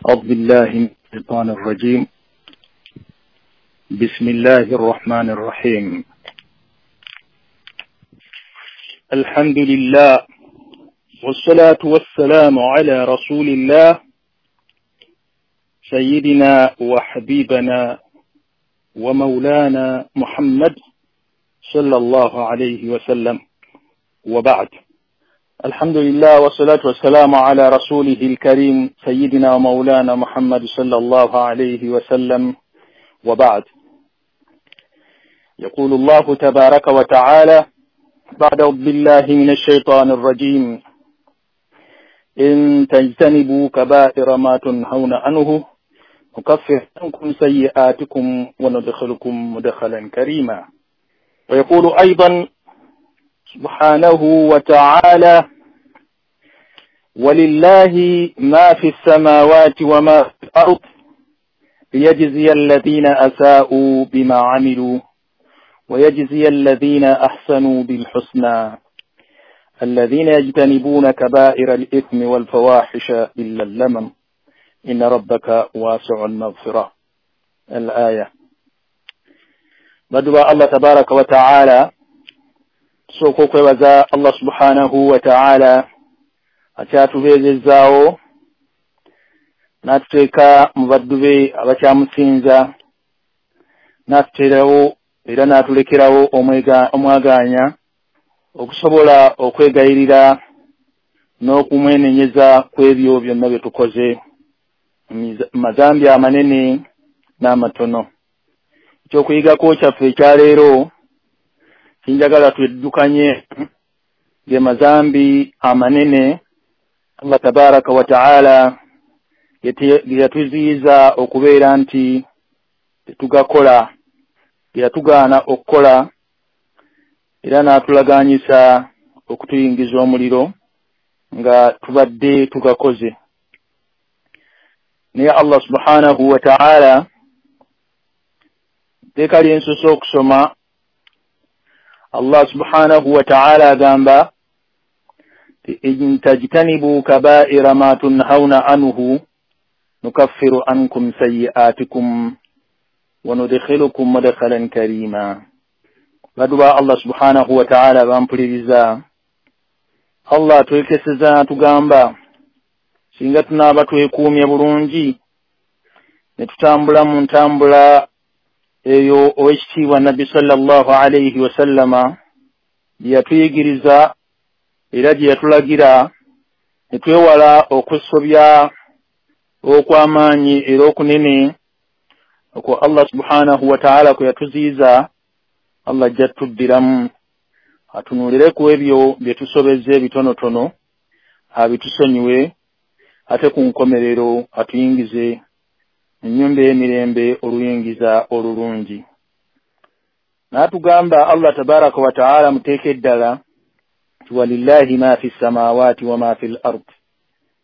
أعوذ بالله من الشيطان الرجيم. بسم الله الرحمن الرحيم. الحمد لله والصلاة والسلام على رسول الله سيدنا وحبيبنا ومولانا محمد صلى الله عليه وسلم، وبعد. الحمد لله والصلاة والسلام على رسوله الكريم سيدنا ومولانا محمد صلى الله عليه وسلم، وبعد. يقول الله تبارك وتعالى بعد أعوذ بالله من الشيطان الرجيم: إن تجتنبوا كبائر ما تنهون عنه نكفر عنكم سيئاتكم وندخلكم مدخلا كريما. ويقول أيضا سبحانه وتعالى: ولله ما في السماوات وما في الأرض ليجزي الذين أساءوا بما عملوا ويجزي الذين أحسنوا بالحسنى الذين يجتنبون كبائر الإثم والفواحش إلا اللمم إن ربك واسع المغفرة. الآية. بدو الله تبارك وتعالى tusooka okwebaza Allah subhanahu wa ta'ala akyatubeezezaawo n'atuteeka mu baddu be abakyamusinza, n'atuteerawo era n'atulekerawo omwagaanya okusobola okwegayirira n'okumwenenyeza ku ebyo byonna bye tukoze mu mazambi amanene n'amatono. Ekyokuyigako kyaffe ekyaleero kinjagala tweddukanye ge mazambi amanene Allah tabaraka wa ta'ala ge yatuziyiza okubeera nti tetugakola, ge yatugaana okukola, era n'atulaganyisa okutuyingiza omuliro nga tubadde tugakoze. Naye Allah subhanahu wa ta'ala tteeka lyensoose okusoma, Allah subhanahu wa ta'ala agamba: in tajtanibu kaba'ira ma tunhawna anhu nukaffiru ankum sayyi'atikum wa nudkhilukum mudkhalan karima. Baduba Allah subhanahu wa ta'ala bampuliriza. Allah atwekeseza atugamba singa tunaaba twekuumye bulungi ne tutambula mu ntambula eyo owekitiibwa Nabbi sallallahu alayhi wasallama gye yatuyigiriza era gye yatulagira, ne twewala okusobya okw'amaanyi era okunene okwo Allah subhanahu wa ta'ala kwe yatuziyiza, Allah ajja tuddiramu atunuulire ku ebyo bye tusobezza ebitonotono abitusonyiwe, ate ku nkomerero atuyingize ennyumba ey'emirembe oluyingiza olulungi. N'atugamba Allah tabaraka wa ta'ala muteeka eddala nti walillahi ma fi ssamaawaati wa ma fi l ard,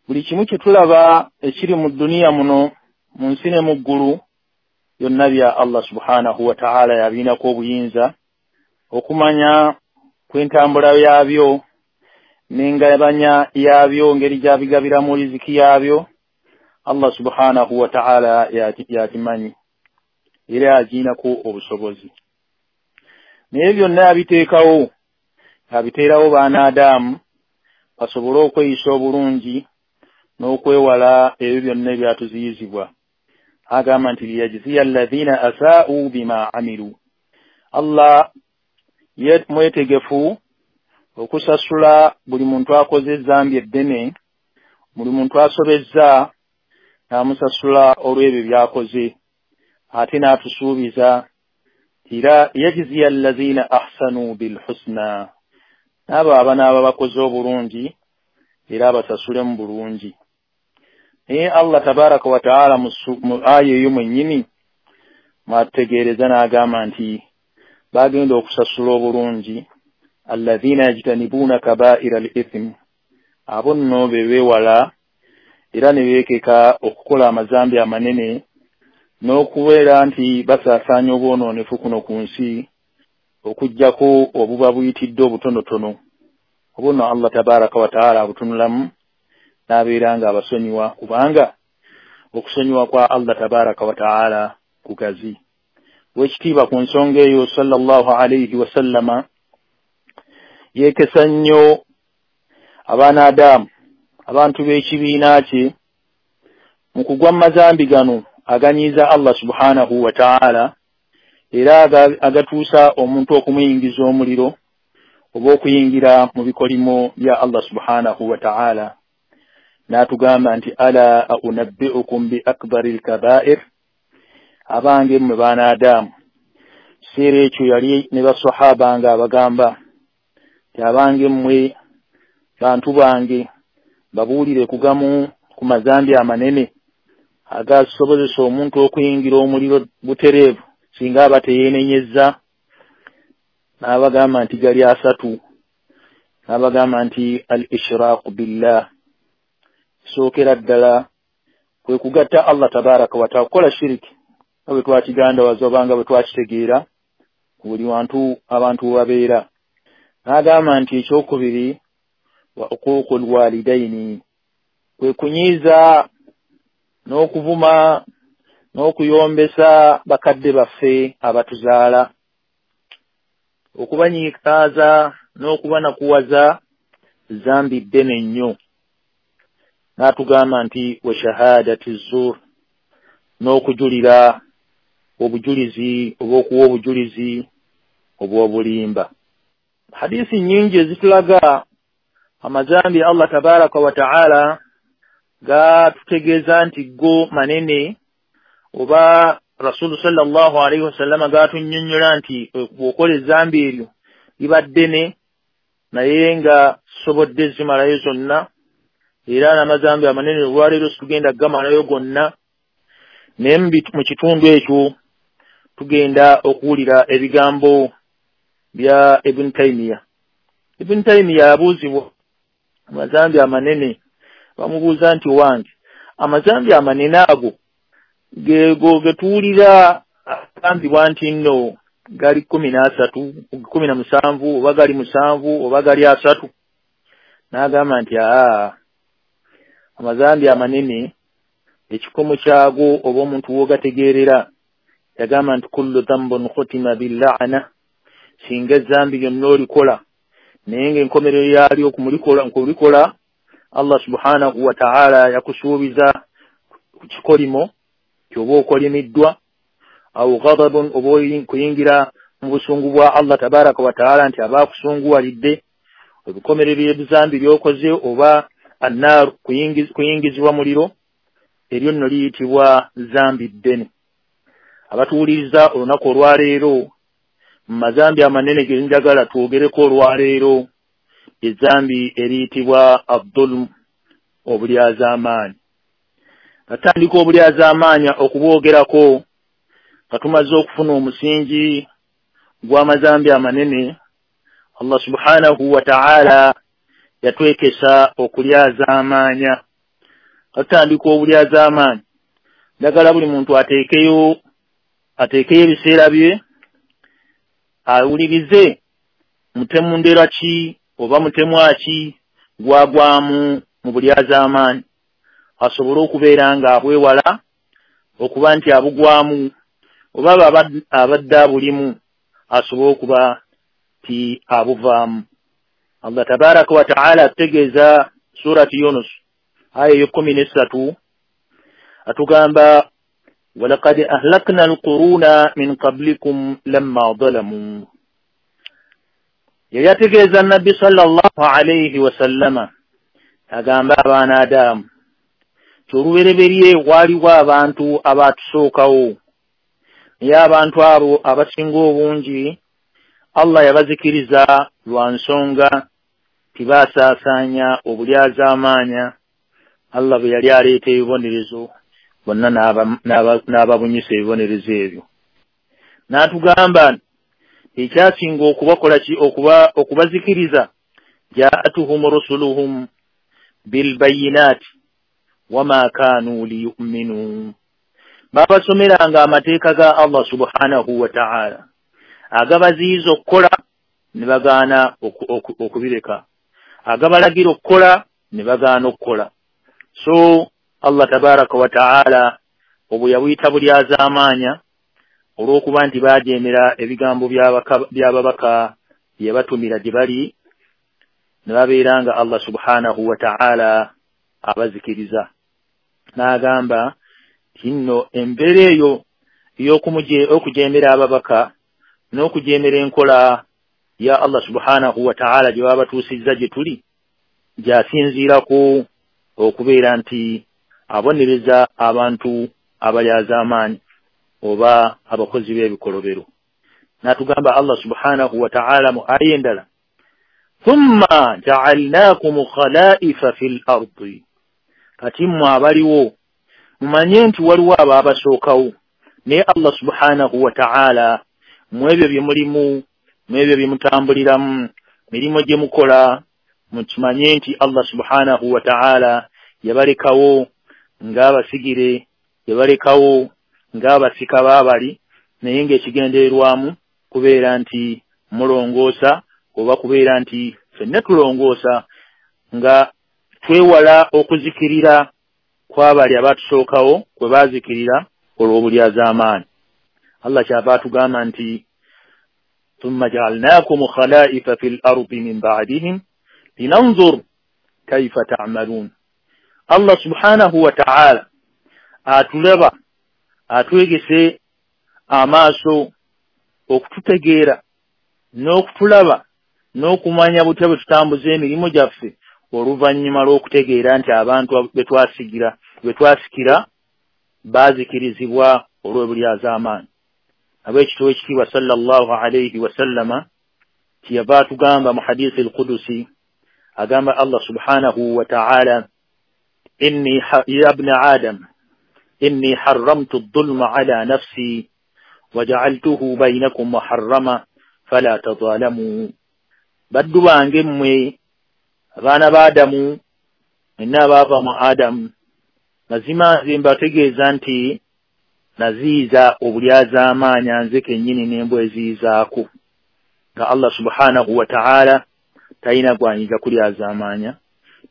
buli kimu kye tulaba ekiri mu dduniya muno mu nsi ne mu ggulu byonna bya Allah subhanahu wa ta'ala, yabirinako obuyinza okumanya kw'entambula yaabyo n'engabanya yaabyo, ngeri gy'abigabiramu riziki yaabyo. Allah subhanahu wa ta'ala yakimanyi era agiinako obusobozi. Naye byonna yabiteekawo, abiteerawo baana Adamu basobole okweyisa obulungi n'okwewala ebyo byonna ebyatuziyizibwa. Agamba nti liyajziya alladhina asaa'u bima amilu. Allah ye mwetegefu okusasula buli muntu akoze ezambi eddene, buli muntu asobezza n'amusasula olw'ebyo by'akoze, ate n'atusuubiza era yajziya allazina ahsanu bilhusna, n'abo abanaaba bakoze obulungi era abasasulemu bulungi. Naye Allah tabaraka wa ta'ala mu aya eyo mwennyini mwatutegeereza n'agamba nti bagenda okusasula obulungi allazina yajtanibuuna kabaira al ithm, abo nno be beewala era ne beekeka okukola amazambi amanene n'okubeera nti basaasaanya obwonoonefu kuno ku nsi, okuggyako obuba buyitidde obutonotono. Obwo nno Allah tabaraka wa ta'ala abutunulamu n'abeera nga abasonyiwa, kubanga Okusonyiwa kwa Allah tabaraka wa taala kugazi. Wekitiibwa ku nsonga eyo, sallallahu alaihi wasallama yeekesa nnyo abaana Adamu, abantu b'ekibiina kye, mu kugwa mu mazambi gano aganyiiza Allah subhanahu wa taala, era agatuusa omuntu okumuyingiza omuliro oba okuyingira mu bikolimo bya Allah subhanahu wa taala. N'atugamba nti ala unabbi'ukum bi akbari lkabair, abange mmwe baana Adamu. Kiseera ekyo yali ne basahaba nga abagamba nti abange mmwe bantu bange, babuulire kugamu ku mazambi amanene agasobozesa omuntu okuyingira omuliro butereevu singa aba teyeenenyezza. N'abagamba nti gali asatu. N'abagamba nti al ishraqu billah, sookera ddala kwe kugatta Allah tabaraka wa taala, kukola shiriki nga bwe twakigandawaza oba nga bwe twakitegeera buli wantu abantu we babeera. N'agamba nti ekyokubiri wa uquuqu lwalidaini, kwe kunyiiza n'okuvuma n'okuyombesa bakadde baffe abatuzaala, okubanyiikaaza n'okubanakuwaza zambi ddene nnyo. N'atugamba nti wa shahadati zur, n'okujulira obujulizi oba okuwa obujulizi obw'obulimba. Hadisi nnyingi ezitulaga amazambi Allah tabaraka wa taala gatutegeeza nti go manene, oba Rasulu sallallahu alaihi wasallama gatunnyonnyola nti bw'okola ezambi eryo liba ddene, naye nga sobodde zimalayo zonna, era n'amazambi amanene olwaleero situgenda gamalayo gonna. Naye mu kitundu ekyo tugenda okuwulira ebigambo bya Ibn Taymiya. Ibn Taymiya abuuzibwa amazambi amanene, bamubuuza nti wange amazambi amanene ago gego getuwulira agambibwa nti nno gali 13, 17 oba gali 7 oba gali 3. N'agamba nti amazambi amanene ekikomo kyago oba omuntu w'ogategeerera, yagamba nti kullu dhanbun khutima billa'na, singa ezambi lyonna olikola naye ng'enkomerero yaalyo okulikola Allah subhanahu wa ta'ala yakusuubiza ku kikolimo kyoba okolimiddwa, aw ghadabun, oba kuyingira mu busungu bwa Allah tabaraka wa taala nti aba akusunguwalidde ebikomerero by'ebizambi by'okoze, oba annar, kuyingizibwa muliro, eryo nno liyitibwa zambi ddene. Abatuwuliriza olunaku olwaleero, mu mazambi amanene ge njagala twogereko olwaleero, ezambi eriyitibwa adhulm, obulyazaamaanyi. Atandika obulyazaamaanyi okubwogerako nga tumaze okufuna omusingi gw'amazambi amanene. Allah subhanahu wa ta'ala yatwekesa okulyazaamaanya. Atandika obulyazaamaanyi, njagala buli muntu ateekeyo ebiseera bye awulirize mutemu ndera ki oba mutemwa ki gwagwamu mu bulyazaamaanyi, asobole okubeera nga abwewala okuba nti abugwamu, oba abadde abulimu asobole okuba nti abuvaamu. Allah tabaraka wa taala atutegeeza surati Yunus aya ey'ekkumi n'essatu, atugamba walaqad ahlakna alquruna min qablikum lamma zalamu. Yali ategeeza Nabbi sallallahu alaihi wasallama, agamba abaana Adamu ti olubereberye waaliwo abantu abaatusookawo, naye abantu abo abasinga obungi Allah yabazikiriza lwa nsonga tibaasaasaanya obulyazaamaanya. Allah bwe yali aleeta ebibonerezo bonna n'ababunyisa ebibonerezo ebyo. N'atugamba ekyasinga okubakola ki, okubazikiriza, jaatuhum rusuluhum bilbayinaati wama kaanu liyuminuu, babasomeranga amateeka ga Allah subhanahu wa ta'ala agabaziyiza okukola ne bagaana okubireka, agabalagira okukola ne bagaana okukola. So Allah tabaraka wa taala obwe yabuyita bulyazaamaanya olw'okuba nti baajeemera ebigambo by'ababaka bye batumira gye bali, ne babeera nga Allah subhanahu wa ta'ala abazikiriza. N'agamba nti nno embeera eyo ey'okujeemera ababaka n'okujeemera enkola ya Allah subhanahu wa ta'ala gye baba batuusizza gye tuli, gy'asinziirako okubeera nti abonereza abantu abalyazaamaanyi oba abakozi b'ebikolobero. N'atugamba Allah subhanahu wa ta'ala mu aya endala, thumma ja'alnakum khalaifa fil ardi, kati mmwe abaliwo mumanye nti waliwo abaabasookawo, naye Allah subhanahu wa ta'ala mu ebyo bye mulimu, mu ebyo bye mutambuliramu, mirimu gye mukola, mukimanye nti Allah subhanahu wa ta'ala yabalekawo ng'abasigire, yabalekawo ng'abasika baabali, naye ng'ekigendererwamu kubeera nti mulongoosa oba kubeera nti ffenna tulongoosa nga twewala okuzikirira kw'abali abatusookawo kwe baazikirira olw'obulyazaamaanyi. Allah kyava atugamba nti thumma ja'alnakum khalaifa fil ardi min ba'dihim linanzur kaifa ta'malun. Allah subhanahu wa ta'ala atulaba, atwegese amaaso okututegeera n'okutulaba n'okumanya butya bwe tutambuza emirimu gyaffe oluvannyuma lw'okutegeera nti abantu be twasikira baazikirizibwa olw'obulyazaamaanyi. Ab'ekitabo ekitiibwa sallallahu alayhi wasallama kyeyava atugamba mu hadisi al-Qudusi, agamba Allah subhanahu wa ta'ala, inni ya ibna Adam inni harramtu adh-dhulma ala nafsi wa ja'altuhu baynakum muharrama fala tadhalamu. Baddu bange mmwe abaana ba Adamu, mwenna abaava mu Adamu, mazima nze mbategeeza nti naziiza obulyazaamaanya nze kennyini ne mbweziizaako, nga Allah subhanahu wa ta'ala talina gw'ayinza kulyazaamaanya,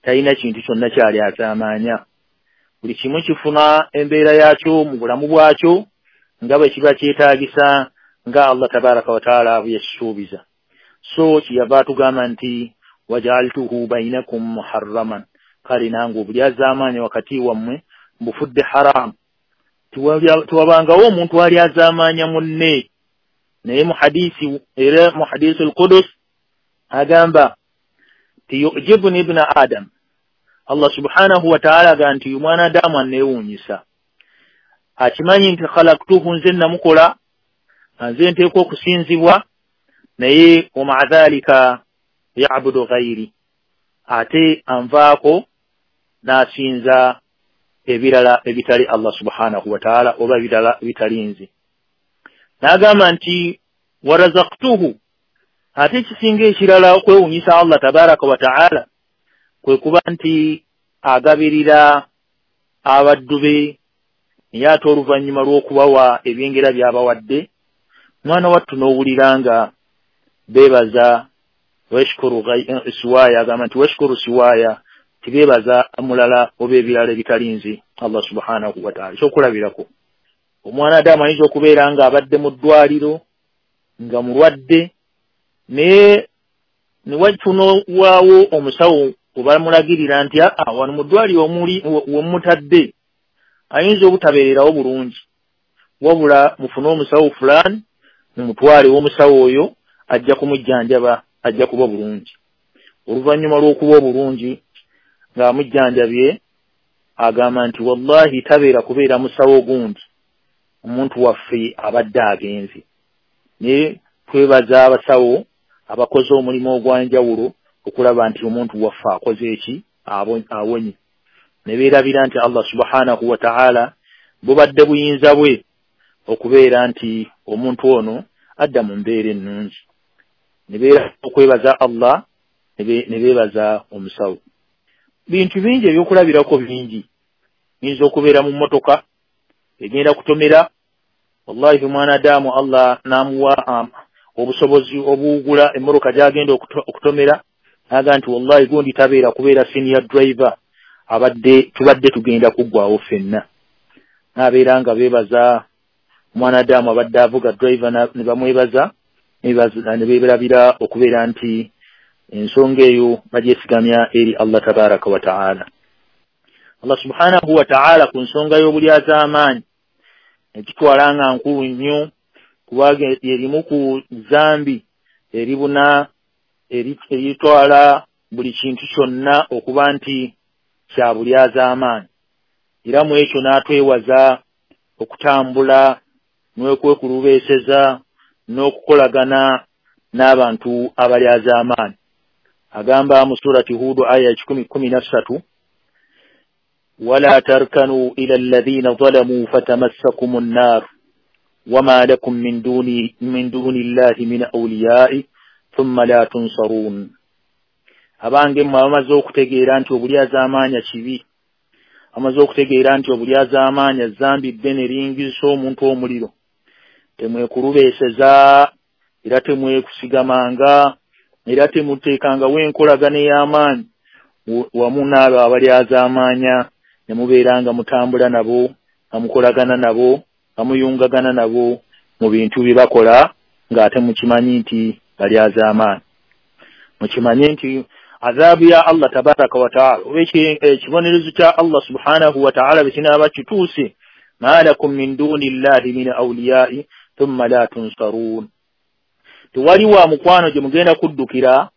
talina kintu kyonna kyalyazaamaanya. Buli kimu kifuna embeera yakyo mu bulamu bwakyo nga bwe kiba kyetaagisa nga Allah tabaraka wa taala bwe yakisuubiza. So kyeyava atugamba nti waja'altuhu baynakum muharraman, kale nange obulyazaamaanya wakati wammwe mbufudde haramu, tewabangawo omuntu alyazaamaanya munne. Naye mu hadisi, era mu hadisi al-Qudus agamba ti yujibuni ibna Adam, Allah subhanahu wa ta'ala agamba nti omwana Adamu anneewuunyisa, akimanyi nti khalaqtuhu, nze namukola, nze nteekwa okusinzibwa, naye wa ma'a dhalika ya'budu ghayri, ate anvaako n'asinza ebirala ebitali Allah subhanahu wa ta'ala oba ebirala ebitali nze. N'agamba nti warazaqtuhu, ate ekisinga ekirala okwewuunyisa Allah tabaraka wa ta'ala kwe kuba nti agabirira abaddu be, naye ate oluvannyuma lw'okubawa ebyengera by'abawadde, mwana wattu n'owulira nga beebaza washkuru siwaya, agamba nti washkuru siwaya, tibeebaza mulala oba ebirala ebitali nze Allah subhanahu wa ta'ala. Ekyokulabirako, omwana Adamu ayinza okubeera nga abadde mu ddwaliro nga mulwadde, naye ne watunowaawo omusawo obamulagirira nti wano mu ddwaliro omuli wemutadde ayinza obutabeererawo bulungi, wabula mufune omusawo fulani mumutwale w'omusawo oyo ajja kumujjanjaba, ajja kuba bulungi. Oluvannyuma lw'okuba obulungi ng'amujjanjabye agamba nti wallahi tabeera kubeera musawo gundi, omuntu waffe abadde agenze. Naye twebaza abasawo abakoze omulimu ogw'enjawulo okulaba nti omuntu waffe akoze eki, awonye. Ne beerabira nti Allah subhanahu wa ta'ala bubadde buyinza bwe okubeera nti omuntu ono adda mu mbeera ennungi. Ne beera okwebaza Allah, ne beebaza omusawo. Bintu bingi ebyokulabirako bingi. Yinza okubeera mu mmotoka egenda kutomera, wallahi omwana Adamu Allah n'amuwa obusobozi obuwugula emmotoka gy'agenda okutomera, n'agamba nti wallahi gundi tabeera kubeera senior driver, Abadde tubadde tugenda kuggwawo ffenna. N'abeera nga beebaza omwanadamu abadde avuga driver ne bamwebaza ne beerabira okubeera nti ensonga eyo bagyesigamya eri Allah tabaraka wa taala. Allah subhanahu wa taala ku nsonga y'obulyazaamaanyi ekitwala nga nkulu nnyo, kubanga erimu ku zambi eribuna eritwala buli kintu kyonna okuba nti kya bulyazaamaanyi. Era mu ekyo n'atwewaza okutambula n'okwekulubeeseza n'okukolagana n'abantu abalyazaamaanyi. Agamba mu surati Hudu aya 113, wala tarkanu ila alladhina zalamu fatamassakumu nnar wama lakum min duni llahi min awliyai thumma la tunsarun. Abange mmwe abamaze okutegeera nti obulyazaamaanya kibi, amaze okutegeera nti obulyazaamaanya zambi ddene liyingizisa omuntu omuliro, temwekulubeeseza era temwekusigamanga era temuteekangawo enkolagana ey'amaanyi wamu n'abo abalyazaamaanya, ne mubeera nga mutambula nabo, nga mukolagana nabo, nga muyungagana nabo mu bintu bye bakola ng'ate mukimanyi nti balyazaamaanyi. Mukimanye nti azaabu ya Allah tabaraka wa taala oba ekibonerezo kya Allah subhanahu wa taala bwe kinaaba kituuse, ma lakum min duni llahi min awliyai thumma la tunsarun, tewali wa mukwano gye mugenda kuddukira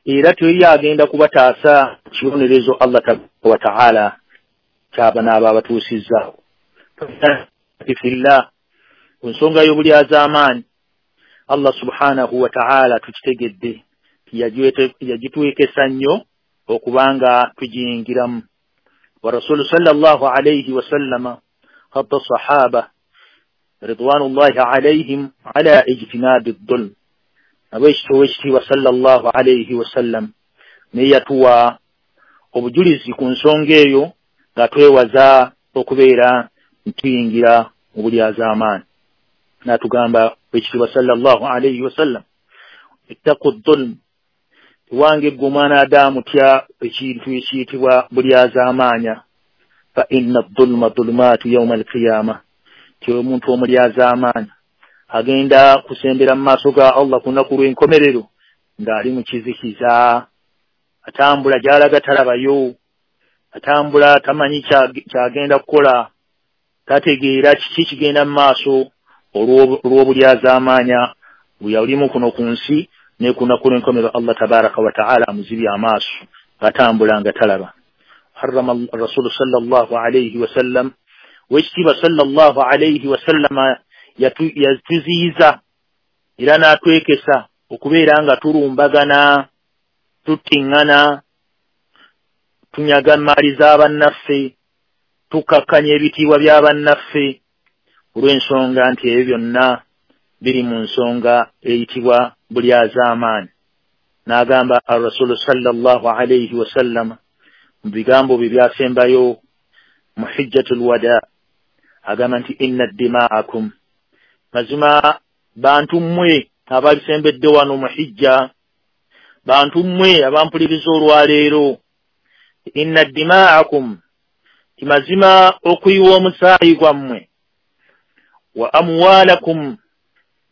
era tewali agenda kubataasa kibonerezo Allah tabaraka wa taala kyaba n'aba abatuusizzaawo. Fillah, ku nsonga y'obulyazaamaanyi Allah subhanahu wa taala tukitegedde yagitwekesa nnyo okubanga tugiyingiramu. Wa rasulu sallallahu alayhi wasallama hatta sahaba ridwanullahi alayhim ala ijtinabi dhulm, nabwekityo owekitiibwa sallallahu alayhi wasallam naye yatuwa obujulizi ku nsonga eyo nga twewaza okubeera ntuyingira mu bulyazaamaanyi. N'atugamba owekitiibwa sallallahu alayhi wasallam, ittaqu dhulm, wange ggwe omwana Adamu tya ekintu ekiyitibwa bulyazaamaanya, fa inna dhulma dhulumaatu yauma alqiyama, ti omuntu omulyazaamaanya agenda kusembera mu maaso ga Allah ku lunaku lw'enkomerero ng'ali mu kizikiza, atambula gy'alaga talabayo, atambula tamanyi kyagenda kukola, tategeera kiki kigenda mu maaso olw'obulyazaamaanya bwe yalimu kuno ku nsi. Ne ku lunaku lw'enkomerero Allah tabaraka wa taala amuzibye amaaso atambula nga talaba. Harrama rasulu sallallahu alayhi wasallam, wekitiibwa sallallahu alayhi wasallama yatuziyiza era n'atwekesa okubeera nga tulumbagana, tuttiŋŋana, tunyaga maali z'abannaffe, tukakkanya ebitiibwa by'abannaffe, olw'ensonga nti ebyo byonna biri mu nsonga eyitibwa bulyazaamaanyi. N'agamba arasulu sallallahu alayhi wasallama mu bigambo bye byasembayo mu hijjatul wada, agamba nti inna dima'akum, mazima bantu mmwe abalisembedde wano mu hijja, bantu mmwe abampuliriza olwaleero, inna dima'akum, ti mazima okuyiwa omusaayi gwammwe, wa amwalakum,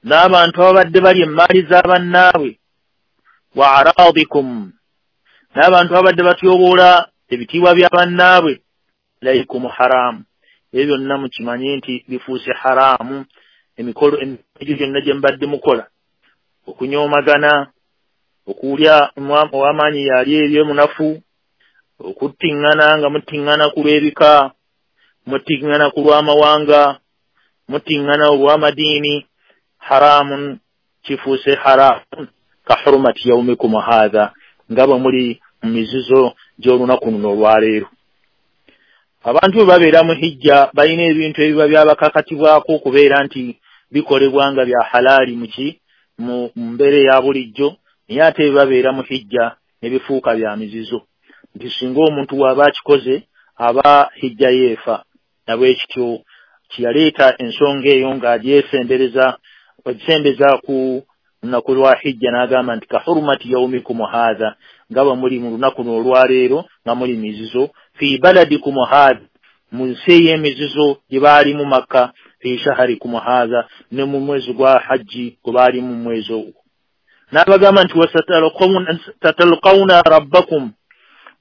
n'abantu ababadde bali emmaali z'abannaabwe, wa araadikum, n'abantu ababadde batyoboola ebitiibwa by'abannaabwe, alaykum haramu, ebyo byonna mukimanye nti bifuuse haramu. Emikolo egyo gyonna gye mbadde mukola, okunyoomagana, okulya ow'amaanyi yali eri omunafu, okuttiŋŋana nga muttiŋŋana ku lw'ebika, muttiŋŋana ku lw'amawanga, muttiŋŋana olw'amadiini, haramun, kifuuse haramu ka hurumati yaumikum haadha, nga bwe muli mu mizizo gy'olunaku luno olwaleero. Abantu bwe babeera mu hijja balina ebintu ebiba byabakakatibwako okubeera nti bikolebwa nga bya halaali muki mu mbeera eya bulijjo, naye ate bwe babeera mu hijja ne bifuuka bya mizizo, nti singa omuntu bw'aba akikoze aba hijja yeefa. Nabwekityo kiyaleeta ensonga eyo ng'agyesembereza agisembeza ku Lunaku lwa hijja n'agamba nti kahurumati yaumikum haadha, nga bwe muli mu lunaku olwaleero nga muli mizizo, fi baladikum haadha, mu nsi ey'emizizo gye baalimu Makka, fi shaharikum haadha, ne mu mwezi gwa hajji gwe baalimu mu mwezi ogwo. N'abagamba nti wasatalqawna rabbakum,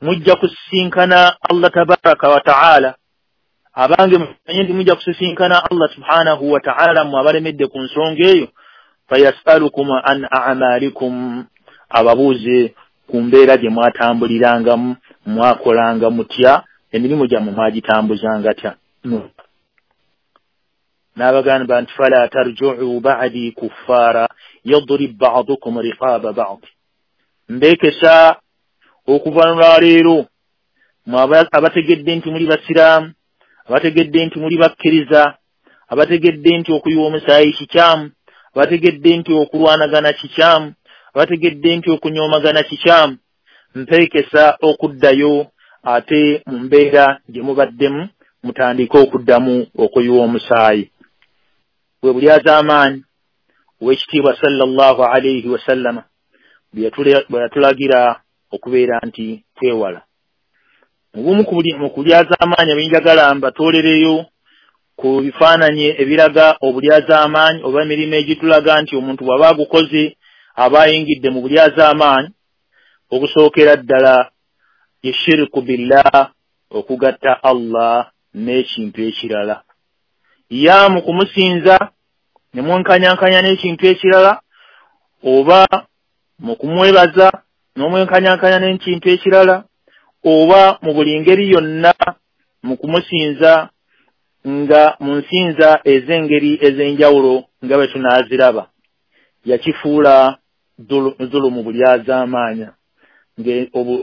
mujja kusisinkana Allah tabaraka wa taala. Abange mumanye nti mujja kusisinkana Allah subhanahu wa taala, mmwe abalemedde ku nsonga eyo. Fayasalukum an a'malikum, ababuuze ku mbeera gye mwatambulirangamu, mwakolanga mutya, emirimu gyammwe mwagitambuzanga tya. N'abagamba nti fala tarji'u ba'di kuffara yadrib ba'dukum riqaba ba'd, mbeekesa okuva lwaleero mwe abategedde nti muli basiraamu, abategedde nti muli bakkiriza, abategedde nti okuyiwa omusaayi kikyamu, abategedde nti okulwanagana kikyamu, abategedde nti okunyoomagana kikyamu, mpeekesa okuddayo ate mu mbeera gye mubaddemu mutandike okuddamu okuyiwa omusaayi. Bwe bulyazaamaanyi ow'ekitiibwa sallallahu alaihi wasallama bwe yatulagira okubeera nti twewala. Mu bumu mu kulyazaamaanyi ebinjagala mbatoolereyo ku bifaananyi ebiraga obulyazaamaanyi oba emirimu egitulaga nti omuntu bw'aba agukoze aba ayingidde mu bulyazaamaanyi, okusookera ddala ye shiriku billah, okugatta Allah n'ekintu ekirala. Ya mu kumusinza ne mwenkanyankanya n'ekintu ekirala, oba mu kumwebaza n'omwenkanyankanya n'ekintu ekirala, oba mu buli ngeri yonna mu kumusinza nga mu nsinza ez'engeri ez'enjawulo nga bwe tunaaziraba. Yakifuula dhulumu, bulyazaamaanya.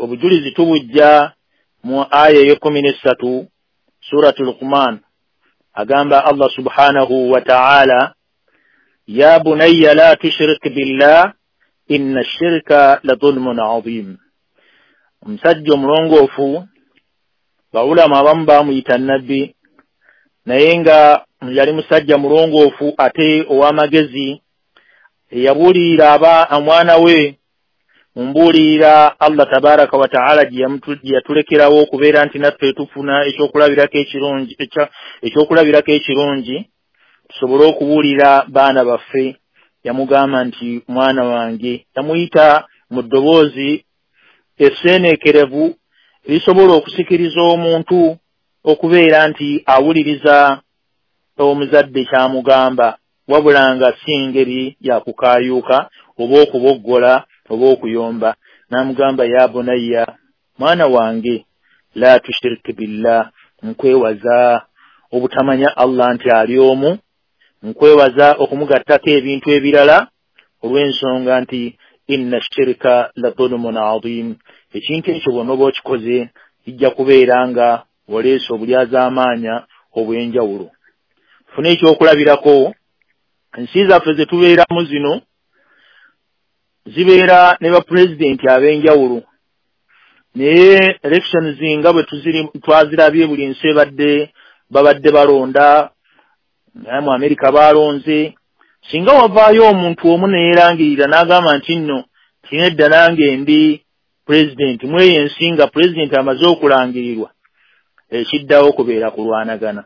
Obujulizi tubujja mu aya ey'ekkumi n'essatu Suratu Luqman. Agamba Allah subhanahu wa ta'ala, ya bunayya la tushrik billah inna shirka la dhulmun adhim. Omusajja omulongoofu, bawulama abamu baamuyita nabbi, naye nga yali musajja mulongoofu ate ow'amagezi, eyabuulirira aba omwana we mu mbuulirira Allah tabaraka wa taala gye yatulekerawo okubeera nti naffe tufuna ekyokulabirako ekirungi tusobole okubuulira baana baffe. Yamugamba nti mwana wange, yamuyita mu ddoboozi esseeneekerevu erisobola okusikiriza omuntu okubeera nti awuliriza omuzadde kyamugamba, wabula nga si ngeri ya kukaayuuka oba okuboggola oba okuyomba. N'amugamba, ya bunayya, mwana wange, la tushiriki billah, nkwewaza obutamanya Allah nti ali omu, nkwewaza okumugattako ebintu ebirala, olw'ensonga nti inna shirika la dhulumun adhim, ekintu ekyo bw'onooba okikoze kijja kubeera nga oleese obulyazaamaanya obw'enjawulo. Funa ekyokulabirako, ensi zaffe ze tubeeramu zino zibeera ne bapulezidenti ab'enjawulo, naye elections nga bwe twazirabye buli nsi ebadde babadde balonda, naye mu Amerika baalonze. Singa wavaayo omuntu omu neyeerangirira n'agamba nti nno tinedda nange ndi pulezidenti mweyo ensi, nga pulezidenti amaze okulangirirwa, ekiddawo kubeera kulwanagana.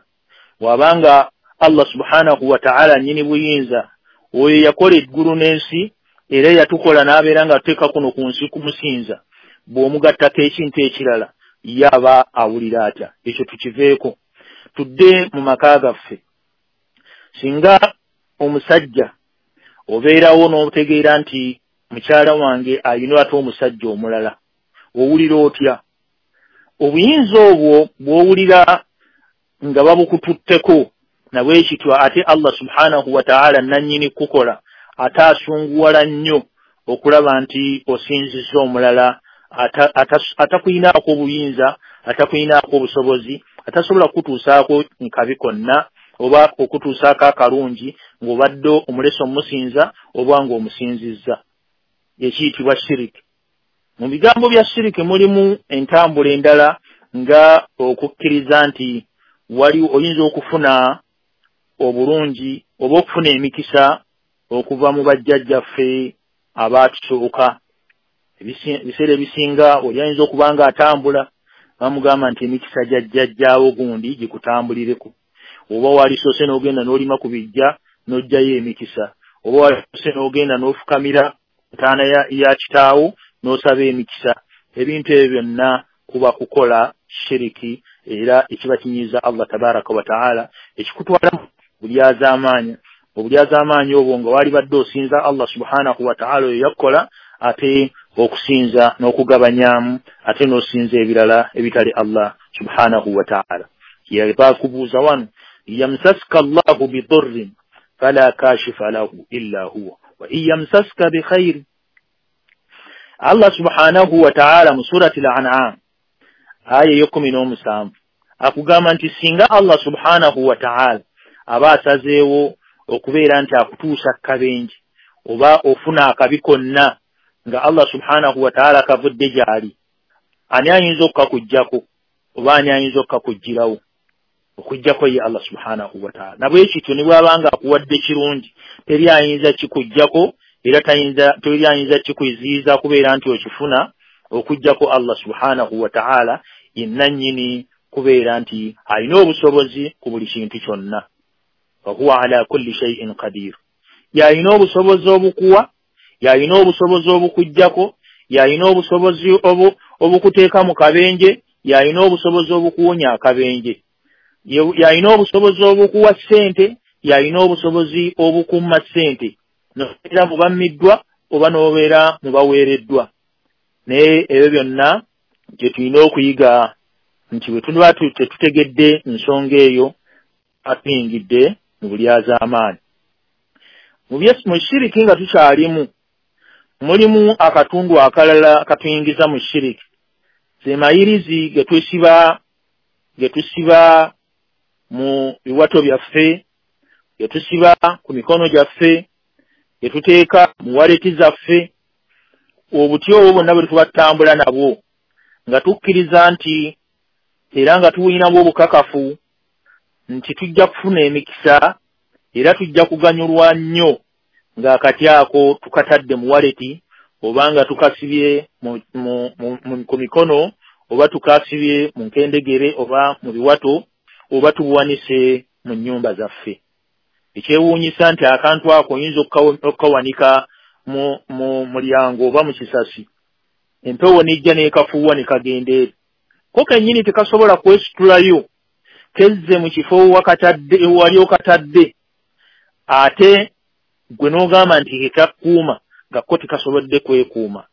Bw'abanga Allah subhanahu wa ta'ala nnyini buyinza, oyo yakola eggulu n'ensi era yatukola n'abeera nga tuteeka kuno ku nsi kumusinza, bw'omugattako ekintu ekirala yaba awulira atya? Ekyo tukiveeko, tudde mu maka gaffe. Singa omusajja obeerawo n'otegeera nti mukyala wange ayina ate omusajja omulala, owulira otya? Obuyinza obwo bw'owulira nga babukututteko nabwe kityo, ate Allah subhanahu wa ta'ala nannyini kukola ate asunguwala nnyo okulaba nti osinzizza omulala atakuyinaako obuyinza, atakuyinaako obusobozi, atasobola kukutuusaako nkabi konna oba okutuusaako akalungi, ng'obadde omulese omusinza oba ng'omusinzizza, ekiyitibwa shiriki. Mu bigambo bya shiriki mulimu entambula endala nga okukkiriza nti wali oyinza okufuna obulungi oba okufuna emikisa. okuva mu bajjajjaffe abaatusooka. Ebiseera ebisinga oli ayinza okuba nga atambula bamugamba nti emikisa gya jjajjaawo gundi gikutambulireko, oba walisoose n'ogenda n'olima ku bijja n'oggyayo emikisa, oba walisoose n'ogenda n'ofukamira ntaana ya kitaawo n'osaba emikisa. Ebintu ebyo byonna kuba kukola shiriki, era ekiba kinyiiza Allah tabaraka wa taala, ekikutwala bulyazaamaanyi. Obulyazaamaanyi obwo nga walibadde osinza Allah subhanahu wa taala oyo yakkola, ate okusinza n'okugabanyaamu, ate n'osinza ebirala ebitali Allah subhanahu wa taala. Yabakubuuza wano, yamsaska Allahu bidurrin fala kashifa lahu illa huwa wa in yamsaska bikhairin. Allah subhanahu wa taala mu surati al-An'am aya 17 akugamba nti singa Allah subhanahu wa taala aba asazeewo okubeera nti akutuusa kabenje oba ofuna akabi konna nga Allah subhanahu wa taala kavudde gy'ali, ani ayinza okukakuggyako oba ani ayinza okukakuggyirawo okuggyako ye Allah subhanahu wa taala? Nabwe kityo ne bw'abanga akuwadde kirungi teri ayinza kikuggyako, era teri ayinza kikuziyiza kubeera nti okifuna okuggyako Allah subhanahu wa taala yenna nnyini kubeera nti alina obusobozi ku buli kintu kyonna. Wahuwa ala kulli shay'in qadir, yalina obusobozi obukuwa, yalina obusobozi obukuggyako, yalina obusobozi obukuteeka mu kabenje, yalina obusobozi obukuwonya akabenje, yalina obusobozi obukuwa ssente, yalina obusobozi obukumma ssente, nobeera mu bammiddwa oba n'obeera mu baweereddwa. Naye ebyo byonna gye tulina okuyiga nti bwe tuba tetutegedde nsonga eyo, atuyingidde mu bulyazaamaanyi. Mu shiriki nga tukyalimu, mulimu akatundu akalala katuyingiza mu shiriki, ze mayirizi ge tusiba mu biwato byaffe, ge tusiba ku mikono gyaffe, ge tuteeka mu waleti zaffe. Obuti obwo bwonna bwe tuba tutambula nabwo nga tukkiriza nti era nga tuwulinamu obukakafu nti tujja kufuna emikisa era tujja kuganyulwa nnyo ng'akati ako tukatadde mu waleti, oba nga tukasibye ku mikono, oba tukasibye mu nkendegere oba mu biwato, oba tubuwanise mu nnyumba zaffe. Ekyewuunyisa nti akantu ako oyinza okukawanika mu mulyango oba mu kisasi, empewo n'ejja n'ekafuuwa ne kagenda eri. Ko kennyini tekasobola kwesitulayo, kezze mu kifo wali okatadde, ate gwe n'ogamba nti kekakuuma nga ko tekasobodde kwekuuma.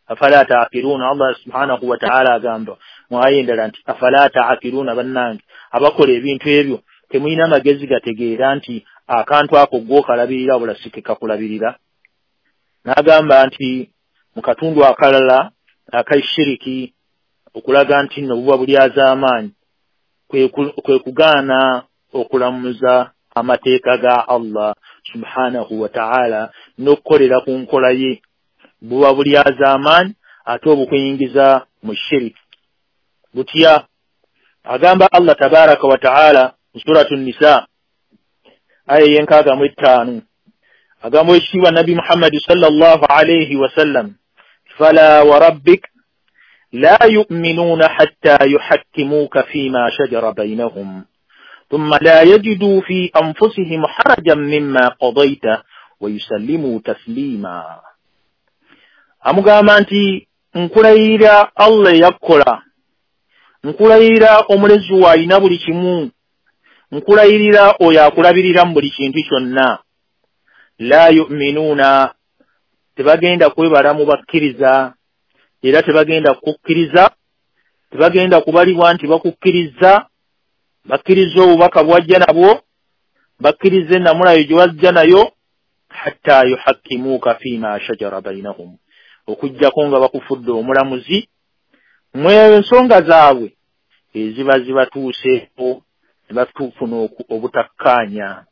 Afala taakiruuna, Allah subhanahu wa taala agamba mu aya endala nti afala taakiruuna, bannange abakola ebintu ebyo temulina magezi gategeera nti akantu ako gw'okalabirira wabula si kekakulabirira. N'agamba nti mu katundu akalala ak'eshiriki okulaga nti nno buba bulyazaamaanyi kwe kugaana okulamuza amateeka ga Allah subhanahu wa taala n'okukolera ku nkola ye. Buba bulyazaamaanyi ate obukuyingiza mu shiriki. Butya? Agamba Allah tabaraka wa taala mu suratu Nisa aya 65, agamba ekitiibwa Nabbi Muhammadi sallallahu alayhi wasallam, fala wa rabbik la yu'minuuna hatta yuhakkimuuka fiima shajara baynahum thumma la yajidu fi anfusihim harajan mimma qadayta wa yusallimu taslima. Amugamba nti nkulayirira Allah eyakkola, nkulayirira omulezi wo alina buli kimu, nkulayirira oyo akulabirira mu buli kintu kyonna. La yu'minuuna, tebagenda kwebala mu bakkiriza, era tebagenda kukkiriza, tebagenda kubalibwa nti bakukkiriza, bakkiriza obubaka bwajja nabwo, bakkiriza ennamulayo gye wajja nayo, hatta yuhakkimuuka fiima shajara bainahum, okuggyako nga bakufudde omulamuzi mu ensonga zaabwe eziba zibatuuseeko ne batufuna obutakkaanya,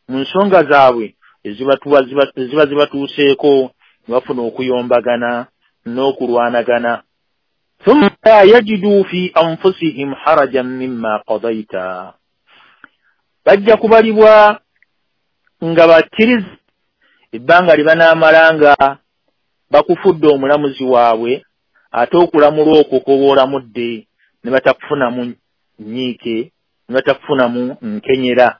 mu nsonga zaabwe eziba zibatuuseeko ne bafuna okuyombagana n'okulwanagana. Thumma la yajidu fi anfusihim harajan mimma qadayta, bajja kubalibwa nga bakkiriza Ebbanga lye banaamala nga bakufudde omulamuzi waabwe, ate okulamula okwo kw'oba olamudde ne batakufunamu nnyiike, ne batakufunamu nkenyera.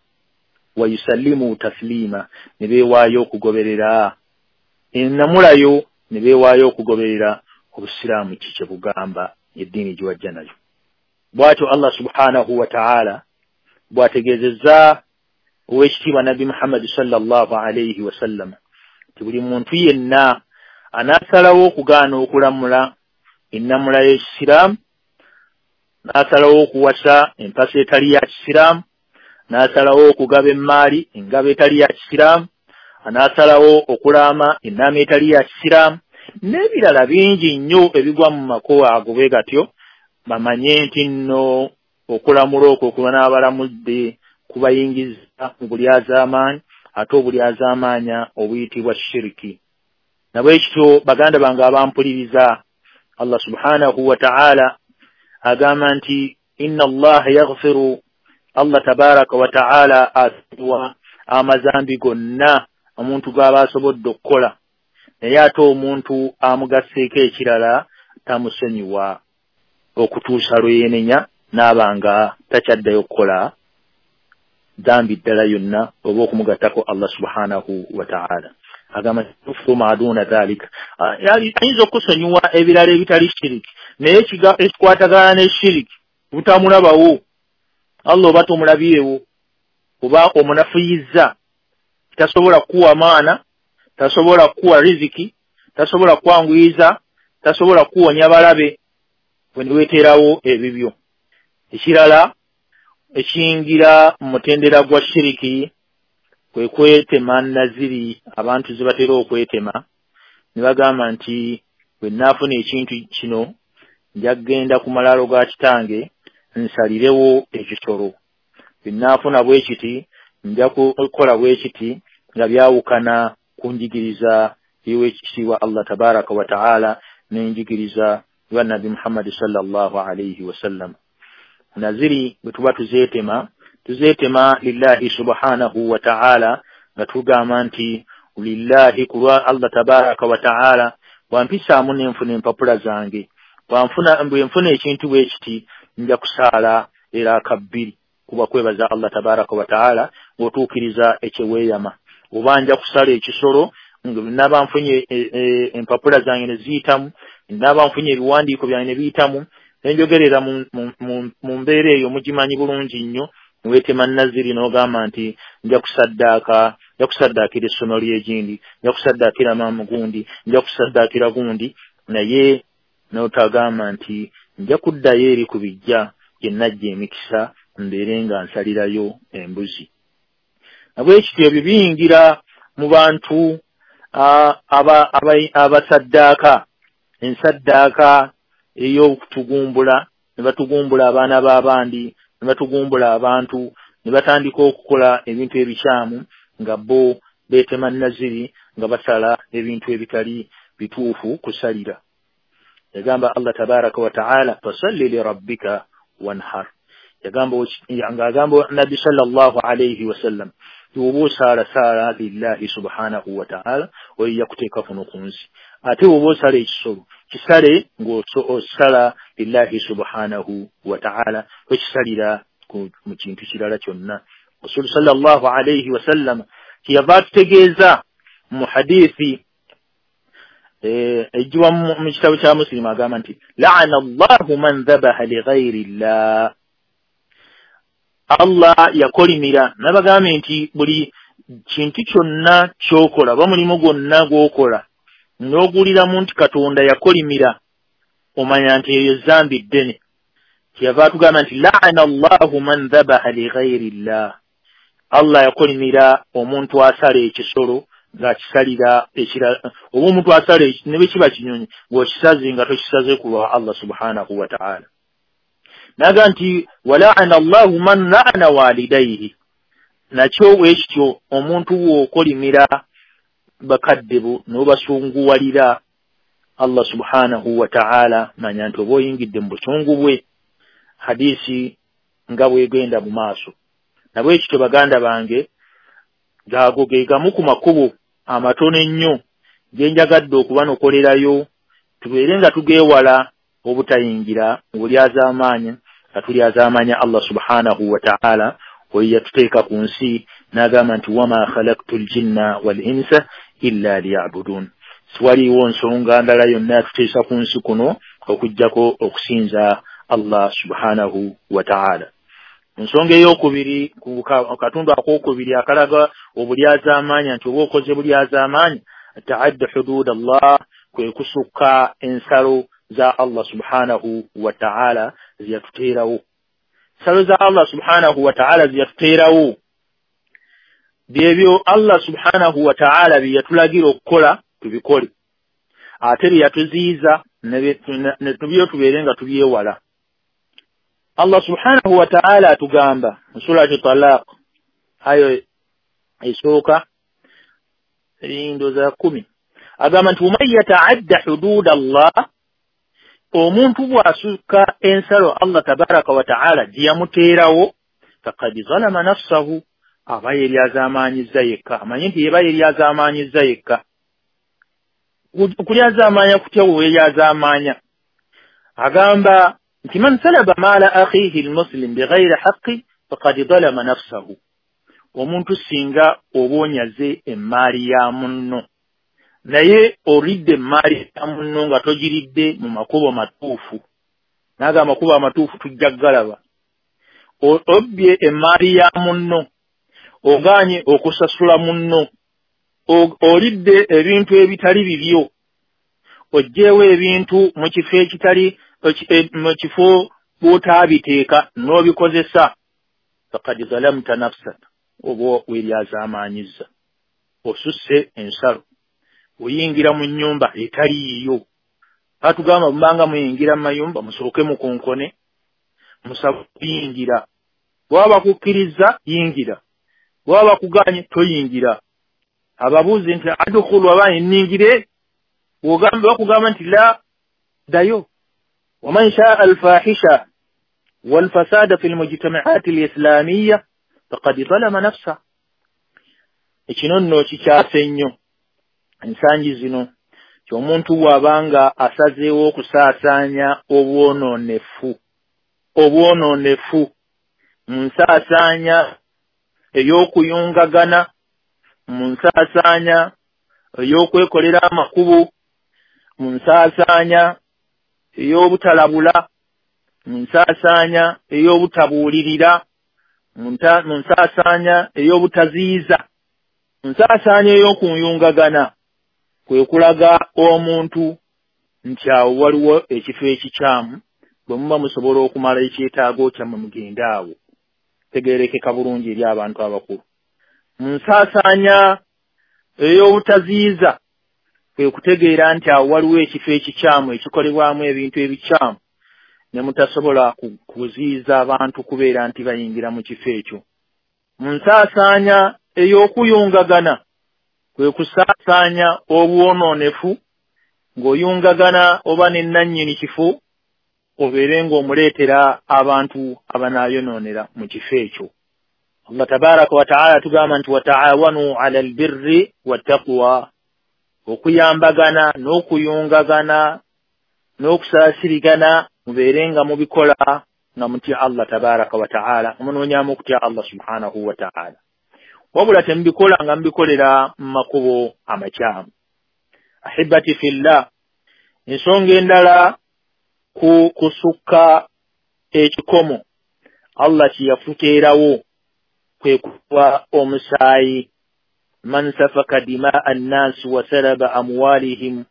Wa yusallimu tasliima, ne beewaayo okugoberera ennamulayo, ne beewaayo okugoberera obusiraamu ki kye bugamba, eddiini gye wajja nayo. Bw'atyo Allah subhanahu wa ta'ala bw'ategeezezza ow'ekitiibwa Nabbi Muhammadi sallallahu alaihi wasallam nti buli muntu yenna anaasalawo okugaana okulamula ennamula y'ekisiraamu, n'asalawo okuwasa empasa etali ya kisiraamu, n'asalawo okugaba emmaali engaba etali ya kisiraamu, anaasalawo okulaama ennaama etali ya kisiraamu, n'ebirala bingi nnyo ebigwa mu makubo ago bwe gatyo, bamanye nti nno okulamula okwo kubanaabalamudde kubayingiza mu bulyazaamaanyi, ate obulyazaamaanya obuyitibwa shiriki. Nabwekityo baganda bange abampuliriza, Allah subhanahu wa ta'ala agamba nti inna Allaha yaghfiru, Allah tabaraka wa ta'ala asonyiwa amazambi gonna omuntu gw'aba asobodde okukola, naye ate omuntu amugasseeko ekirala tamusonyiwa okutuusa lwe yeenenya n'aba nga takyaddayo kukola dhambi ddala yonna oba okumugattako Allah subhanahu wa ta'ala. Agamba yaghfiru ma duna dhalika, ayinza okusonyiwa ebirala ebitali shiriki, naye ekikwatagana ne shiriki butamulabawo Allah oba tomulabyewo oba omunafuyizza, tasobola kuwa maana, tasobola kuwa riziki, tasobola kwanguyiza, tasobola kuwonya balabe, bwe niweeterawo ebibyo. Ekirala ekiyingira mu mutendera gwa shiriki kwe kwetema naziri abantu ze batera okwetema ne bagamba nti bwe nnaafuna ekintu kino nja kugenda ku malaalo ga kitange nsalirewo ekisolo, bwe nnaafuna bwe kiti nja kukola bwe kiti, nga byawukana ku njigiriza y'owekitiibwa Allah tabaraka wa ta'ala n'enjigiriza ya Nabbi Muhammad sallallahu alaihi wasallam. Naziri bwe tuba tuzeetema, tuzeetema lillahi subhanahu wa ta'ala, nga tugamba nti lillahi, kulwa Allah tabaraka wa ta'ala bwampisaamu nenfuna empapula zange, bwe nfuna ekintu bwe kiti nja kusaala eraaka bbiri, kuba kwebaza Allah tabaraka wa ta'ala ng'otuukiriza ekyeweeyama, oba nja kusala ekisolo naba nfunye empapula zange ne ziyitamu, naba nfunye ebiwandiiko byange ne biyitamu, nenjogerera mu mbeera eyo mugimanyi bulungi nnyo. Weetema naziri n'ogamba nti nja kusaddaaka, nja kusaddaakira essomero ly'egindi, nja kusaddaakira maama gundi, nja kusaddaakira gundi, naye n'otagamba nti nja kuddayo eri ku bijja gye najja emikisa mbeere nga nsalirayo embuzi. Nabwekityo ebyo biyingira mu bantu abasaddaaka ensaddaaka ey'okutugumbula, ne batugumbula abaana b'abandi, ne batugumbula abantu, ne batandika okukola ebintu ebikyamu nga bo beetema naziri nga basala ebintu ebitali bituufu kusalira. Yagamba Allah tabaraka wa ta'ala fasalli li rabbika wanhar, yagamba ng'agamba Nabbi sallallahu alayhi wasallam oba osaala saala lillahi subhanahu wa ta'ala, oyo yakuteeka kuno ku nsi, ate oba osala ekisolo kisale ng'osala lillahi subhanahu wa ta'ala, tokisalira mu kintu kirala kyonna. Rasulu sallallahu alayhi wasallam kyeyava atutegeeza mu hadithi ejjiwa mu kitabo kya Muslim, agamba nti la'ana Allahu man dhabaha li ghayri llah, Allah yakolimira. Nabagambye nti buli kintu kyonna ky'okola oba mulimu gwonna gw'okola n'oguwuliramu nti Katonda yakolimira, omanya nti eyo zambi ddene. Kyeyava atugamba nti la'ana Allahu man dhabaha li ghayri llah, Allah yakolimira omuntu asala ekisolo ng'akisalira ekirala, oba omuntu asala ne bwe kiba kinyonyi ng'okisaze nga tokisaze ku lwa Allah subhanahu wa ta'ala. Naga nti wala'ana Allahu man la'ana walidayhi, nakyo bwekityo omuntu bw'okolimira bakadde bo n'obasunguwalira Allah subhanahu wa ta'ala, manya nti oba oyingidde mu busungu bwe. Hadisi nga bwegenda mu maaso. Nabwekityo baganda bange, gago ge gamu ku makubo amatono ennyo ge njagadde okubanokolerayo tubeere nga tugeewala obutayingira mu bulyazaamaanya nga tulyazaamaanya Allah subhanahu wa ta'ala oyo yatuteeka ku nsi n'agamba nti wama khalaqtu ljinna wal insa illa liyabudun. Siwaliiwo nsonga ndala yonna yatuteesa ku nsi kuno okuggyako okusinza Allah subhanahu wa ta'ala. Ensonga ey'okubiri ku katundu akookubiri akalaga obulyazaamaanya nti oba okoze bulyazaamaanya taadda hudud Allah, kwe kusukka ensalo za Allah subhanahu wa ta'ala zeyatuteerawo. Ensalo za Allah subhanahu wa ta'ala zeyatuteerawo byebyo Allah subhanahu wa ta'ala bye yatulagira okukola tubikole, ate bye yatuziyiza ne tubyo tubeere nga tubyewala. Allah subhanahu wa ta'ala atugamba mu surati Talaq ayo esooka ndowooza 10 agamba nti waman yataadda hudud Allah, omuntu bw'asukka ensalo Allah tabaraka wa ta'ala gye yamuteerawo faqad zalama nafsahu, aba yeryazaamaanyizza yekka. Amanyi nti yeba yeryazaamaanyizza yekka. Okulyazaamaanya kutya bwe weeryazaamaanya? Agamba nti man salaba maala akhihi almuslim bighayri haqqi faqad zalama nafsahu, omuntu singa oba onyaze emmaali ya munno naye olidde emmaali ya munno nga togiridde mu makubo matuufu, naga amakubo amatuufu tujja kugalaba, obbye emmaali ya munno, ogaanye okusasula munno, olidde ebintu ebitali bibyo, oggyewo ebintu mu kifo ekitali mu kifo bw'otaabiteeka n'obikozesa, faqad zalamta nafsak, oba weeryazaamaanyizza, osusse ensalo, oyingira mu nnyumba etali yiyo. Batugamba mubanga muyingira mu mayumba musooke mukonkone, musabe kuyingira, bw'aba bakukkiriza yingira, bw'aba bakuganye toyingira. Ababuuzi nti adkhulu aba nnyingire, bakugamba nti la, ddayo. Waman shaa alfahisha walfasada fi lmujtamaati alislamiya faqad zalama nafsa. Ekino nno kikyase nnyo ensangi zino ti omuntu bw'abanga asazeewo okusaasaanya obwonoonefu mu nsaasaanya ey'okuyungagana, mu nsaasaanya ey'okwekolera amakubo, mu nsaasaanya ey'obutalabula, mu nsaasaanya ey'obutabuulirira, mu nsaasaanya ey'obutaziyiza, mu nsaasaanya ey'okuyungagana, kwe kulaga omuntu nti awo waliwo ekifo ekikyamu, bwe muba musobola okumala ekyetaago kyammwe mugende awo. Tegeerekeka bulungi eri abantu abakulu. Mu nsaasaanya ey'obutaziyiza kwe kutegeera nti awo waliwo ekifo ekikyamu ekikolebwamu ebintu ebikyamu ne mutasobola kuziyiza abantu kubeera nti bayingira mu kifo ekyo. Mu nsaasaanya ey'okuyungagana kwe kusaasaanya obwonoonefu ng'oyungagana oba ne nnannyini kifo obeere ng'omuleetera abantu abanaayonoonera mu kifo ekyo. Allah tabaraka wa ta'ala tugamba nti wataawanu ala albirri wattaqwa, okuyambagana n'okuyungagana n'okusaasirigana mubeere nga mubikola nga mutya Allah tabaraka wa ta'ala, munoonyaamu okutya Allah subhanahu wa ta'ala, wabula temubikola nga mubikolera mu makubo amakyamu. Ahibati fillah, ensonga endala ku kusukka ekikomo Allah kye yafuteerawo kwe kuwa omusaayi. Man safaka dimaa annaasi wa salaba amwalihim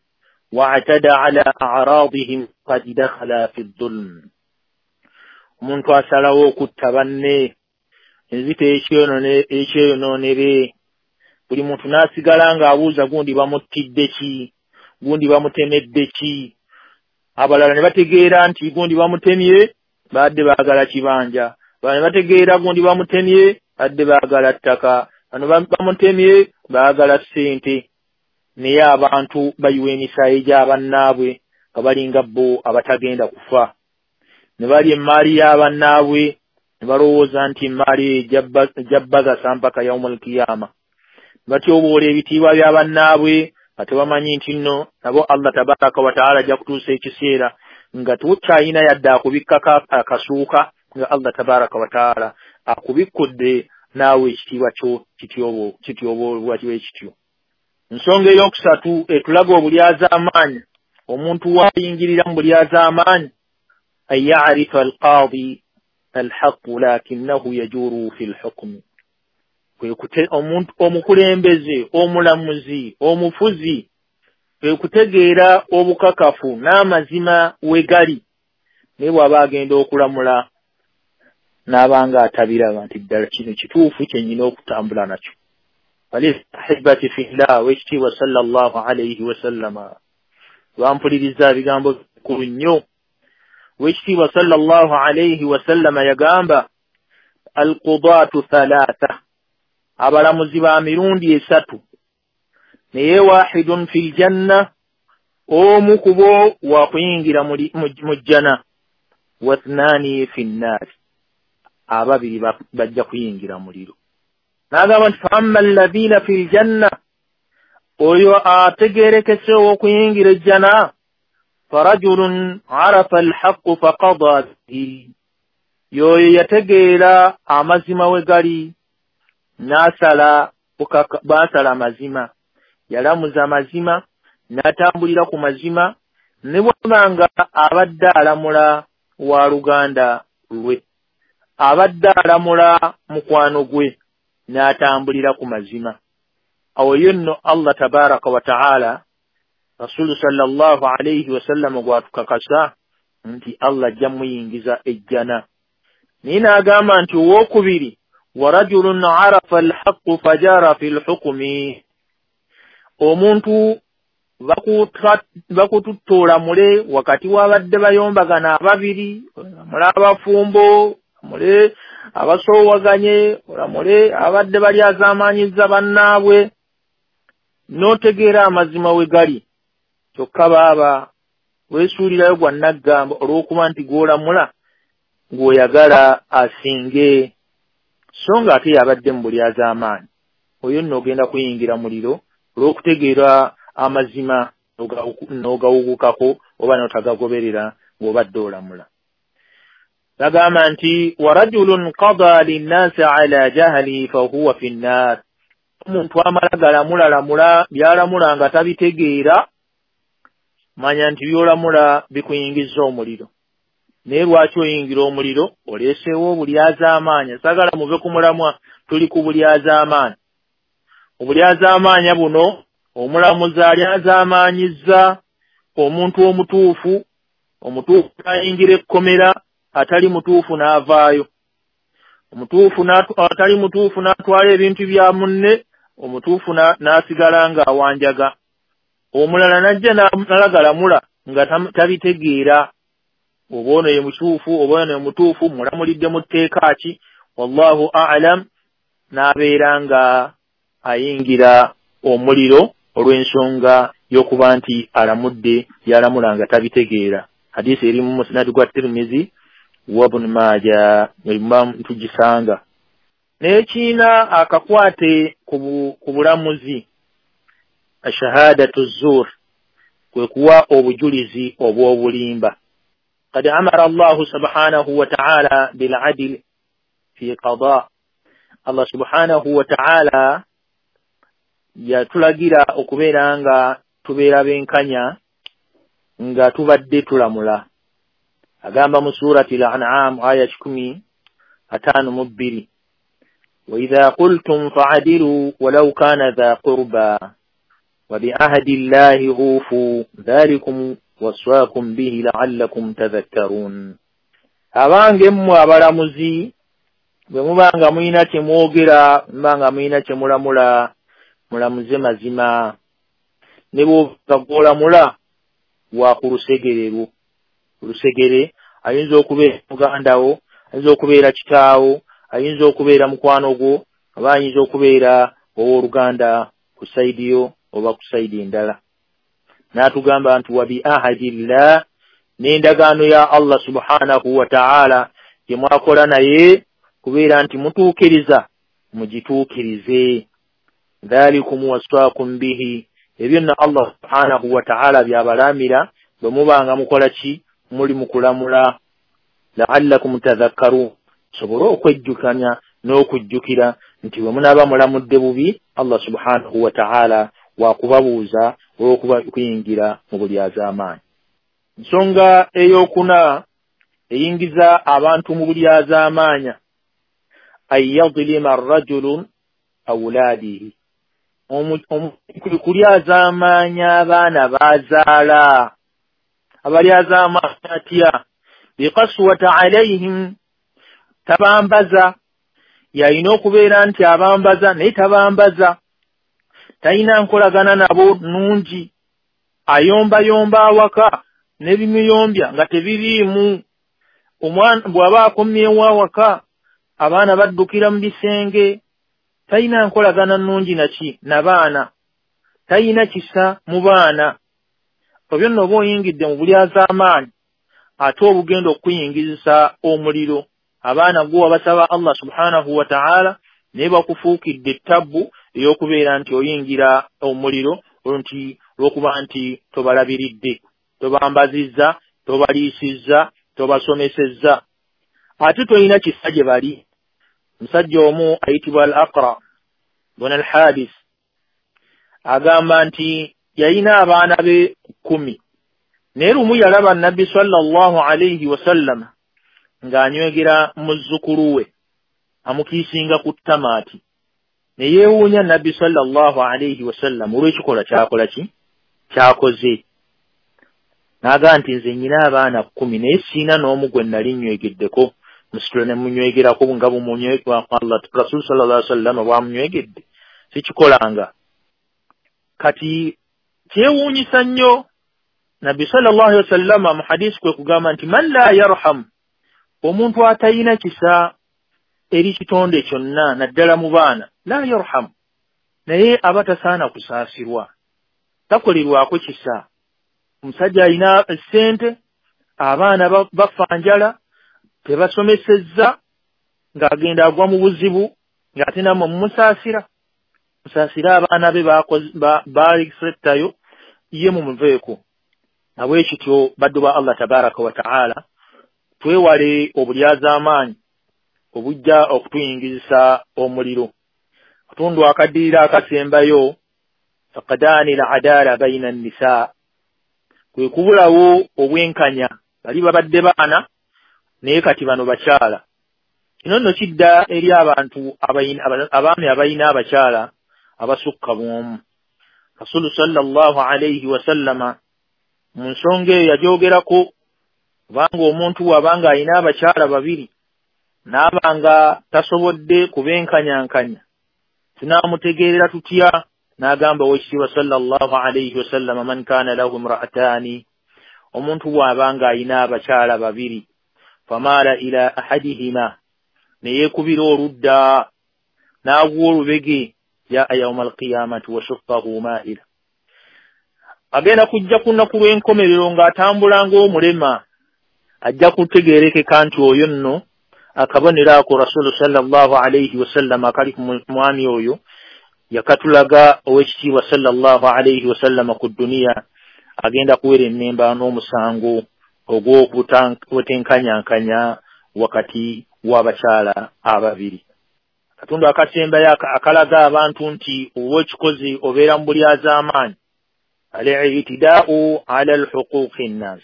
wa atada ala a'radihim qad dakhala fi dhulm. Omuntu asalawo okutta banne enzita ekyeyonoonere, buli muntu n'asigala ng'abuuza gundi bamuttidde ki, gundi bamutemedde ki, abalala ne bategeera nti gundi bamutemye badde baagala kibanja, abalala ne bategeera gundi bamutemye badde baagala ttaka, bano bamutemye baagala ssente. Naye abantu bayiwa emisaayi gy'abannaabwe nga balinga bo abatagenda kufa, ne balya emmaali y'abannaabwe ne balowooza nti emmaali eyo ejja bagasa mpaka yaumul kiyama. Batyoboola ebitiibwa bya bannaabwe nga tebamanyi nti nno nabo Allah tabaraka wataala ajja kutuusa ekiseera nga tukyayina yadde akubikkako akasuuka, nga Allah tabaraka wataala akubikkudde naawe ekitiibwa kyo kityoboolwa kibe kityo. Ensonga eyokusatu etulaga obulyazaamaanyi, omuntu waayingirira mu bulyazaamaanyi, an yarifa alqaadi alhaqu lakinnahu yajuru fi lhukmi, kwe omuntu omukulembeze, omulamuzi, omufuzi kwe kutegeera obukakafu n'amazima we gali, naye bw'aba agenda okulamula n'abanga atabiraba nti ddala kino kituufu kye nnyina okutambula nakyo. Ahibati fillah, wekitiibwa sallallahu alayhi wasallama bampuliriza ebigambo bikulu nnyo. Wekitiibwa sallallahu alayhi wasallama yagamba alqudaatu thalatha, abalamuzi ba mirundi esatu, naye wahidun fil janna, omu ku bo wa kuyingira mu jjana, wathnaani fi nnaari, ababiri bajja kuyingira muliro. N'agamba nti faamma alladhiina fil janna, oyo ategerekese ow'okuyingira ejjana, farajulun arafa alhaqqu faqada bihi, y'oyo yategeera amazima we gali n'asala baasala amazima, yalamuza amazima n'atambulira ku mazima, ne bw'aba nga abadde alamula wa luganda lwe, abadde alamula mukwano gwe, n'atambulira ku mazima. Awo yo nno Allah tabaraka wa taala, Rasulu sallallahu alayhi wasallam gwatukakasa nti Allah ajja muyingiza ejjana. Naye n'agamba nti owookubiri, wa rajulun arafa alhaqqu fajara fi lhukmi, omuntu bakututta olamule wakati w'abadde bayombagana ababiri, olamule abafumbo, olamule abasoowaganye, olamule abadde balyazaamaanyiza bannaabwe, n'otegeera amazima we gali. Kyokka baaba weesuulirayo gwa nnaggamba olw'okuba nti gw'olamula ng'oyagala asinge, so nga ate yabadde mu bulyazaamaanyi. Oyo nno ogenda kuyingira muliro olw'okutegeera amazima n'ogawugukako oba n'otagagoberera ng'obadde olamula. Bagamba nti wa rajulun qada linnaasi ala jahali fahuwa fi nnaar, omuntu amala galamulamula by'alamula nga tabitegeera, manya nti by'olamula bikuyingiza omuliro. Naye lwaki oyingira omuliro? Oleeseewo obulyazaamaanyi. Saagala muve ku mulamwa, tuli ku bulyazaamaanyi. Obulyazaamaanyi buno, omulamuzi alyazaamaanyizza omuntu omutuufu, omutuufu n'ayingira ekkomera, atali mutuufu n'avaayo, omutuufu atali mutuufu n'atwala ebintu bya munne, omutuufu n'asigala ng'awanjaga, omulala n'ajja n'alagalamula nga tabitegeera, oba ono ye mutuufu oba ono ye mutuufu, mulamulidde mu tteeka ki, wallahu a'lam, n'abeera nga ayingira omuliro olw'ensonga y'okuba nti alamudde yalamula nga tabitegeera. Hadisi eri mu musnad gwa Tirmizi wa Ibn Majah, Imam tugisanga. Naye kiina akakwate ku bulamuzi, ashahadatu zur, kwe kuwa obujulizi obw'obulimba. Qad amara Allahu subhanahu wa ta'ala bil'adl fi qada. Allah subhanahu wa ta'ala yatulagira okubeera nga tubeera benkanya nga tubadde tulamula. Agamba mu surati al-An'am aya 152, wa idha qultum fa'adilu walau kana dha qurba wa bi'ahdi Allahi ufu dhalikum waswaakum bihi la'allakum tadhakkarun. Abange mmwe abalamuzi, bwe mubanga mulina kye mwogera, mubanga mulina kye mulamula, mulamuze mazima. Ne bw'oba gw'olamula wa ku lusegere lwo. Lusegere ayinza okubeera muganda wo, ayinza okubeera kitaawo, ayinza okubeera mukwano gwo, oba ayinza okubeera owooluganda ku sayidi yo oba ku sayidi endala. N'atugamba nti wa bi ahadillah, n'endagaano ya Allah subhanahu wa ta'ala gye mwakola naye kubeera nti mutuukiriza, mugituukirize. Dhalikum wasaakum bihi, ebyo nno Allah subhanahu wa ta'ala byabalamira bwe mubanga mukola ki, muli mukulamula. La'allakum tadhakkarun, sobole okwejjukanya n'okujjukira nti bwe munaaba mulamudde bubi Allah subhanahu wa ta'ala wakubabuuza olw'okuba kuyingira mu bulyazaamaanyi. Ensonga eyokuna eyingiza abantu mu bulyazaamaanya, an yadlima arrajulu awlaadihi, kulyazaamaanya abaana bazaala. Abalyazaamaanya atya? Biqaswata alayhim, tabambaza. Yalina okubeera nti abambaza naye tabambaza, talina nkolagana nabo nnungi, ayombayomba awaka n'ebimuyombya nga tebiriimu. Omwana bw'aba akomyewo awaka abaana baddukira mu bisenge, talina nkolagana nnungi naki na baana, talina kisa mu baana. Ebyo nno oba oyingidde mu bulyazaamaanyi ate obugenda okuyingizisa omuliro. Abaana gwe wabasaba Allah subhanahu wa ta'ala naye bakufuukidde ettabbu ey'okubeera nti oyingira omuliro nti olw'okuba nti tobalabiridde, tobambazizza, tobaliisizza, tobasomesezza, ate tolina kisa gye bali. Musajja omu ayitibwa Al-Aqra bun Al-Habis agamba nti yalina abaana be 10, naye lumu yalaba Nabbi sallallahu alayhi wasallama ng'anywegera muzzukulu we amukiisinga ku ttamaati, ne yeewuunya Nabbi sallallahu alayhi wasallam olw'ekikolwa kyakola ki kyakoze. N'agamba nti nze nnyina abaana 10 naye siina n'omu gwe nali nnywegeddeko, musitula ne munywegerako nga bumunywegerako Allah Rasul sallallahu alayhi wasallam bw'amunywegedde, sikikolanga. Kati kyewuunyisa nnyo Nabbi sallallahu alayhi wasallam mu hadisi kwe kugamba nti man la yarham, omuntu atayina kisa eri kitonde kyonna naddala mu baana, la yarham, naye aba tasaana kusaasirwa, takolerwako kisa. Omusajja alina essente, abaana bafa njala, tebasomesezza, ng'agenda agwa mu buzibu, ng'ate nammwe mumusaasira. Musaasire abaana be baleetayo ye mumuveeko. Nabwe kityo baddu ba Allah tabaraka wa ta'ala, twewale obulyazaamaanyi obujja okutuyingizisa omuliro. Katundu akaddirira akasembayo, faqadaani al-adala bayina an-nisaa, kwe kubulawo obwenkanya. Bali babadde baana naye kati bano bakyala. Kino nno kidda eri abantu abaami abalina abakyala abasukka bw'omu. Rasulu sallallahu alayhi wasallama mu nsonga eyo yagyogerako, kubanga omuntu bw'abanga alina abakyala babiri n'aba nga tasobodde kubenkanyankanya, tunaamutegeerera tutya? N'agamba owekitiibwa sallallahu alayhi wasallama, man kaana lahu imra'ataani, omuntu bw'abanga alina abakyala babiri, famaala ila ahadihima, ne yeekubira oludda n'agwa olubege, jaa yawma alqiyamati wa shuqqahu maa'ila, agenda kujja ku nnaku lw'enkomerero ng'atambula ng'omulema. Ajja kutegeerekeka nti oyo nno akabonero ako Rasulu sallallahu alayhi wasallam akali ku mwami oyo yakatulaga owekitiibwa sallallahu alayhi wasallam ku dduniya, agenda kuwera ennemba n'omusango ogw'obutenkanyankanya wakati w'abakyala ababiri. Katundu akasembayo akalaga abantu nti oba okikoze obeera mu bulyazaamaanyi, al-i'tidaa'u ala al-huquuqi nnaas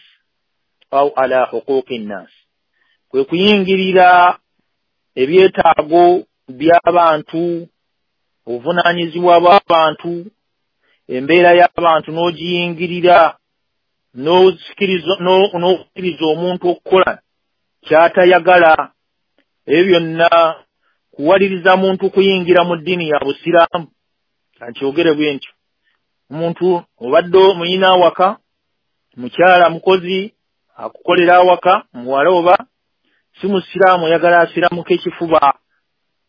au ala huquuqi nnaas, kwe kuyingirira ebyetaago by'abantu, obuvunaanyizibwa bw'abantu, embeera y'abantu n'ogiyingirira, n'okkiriza omuntu okukola ky'atayagala. Ebyo byonna kuwaliriza muntu kuyingira mu ddiini ya Busiraamu. Kankyogere bwe ntyo, omuntu obadde muyina awaka, mukyala mukozi akukolera awaka, muwala oba si musiraamu, oyagala asiramuko ekifuba,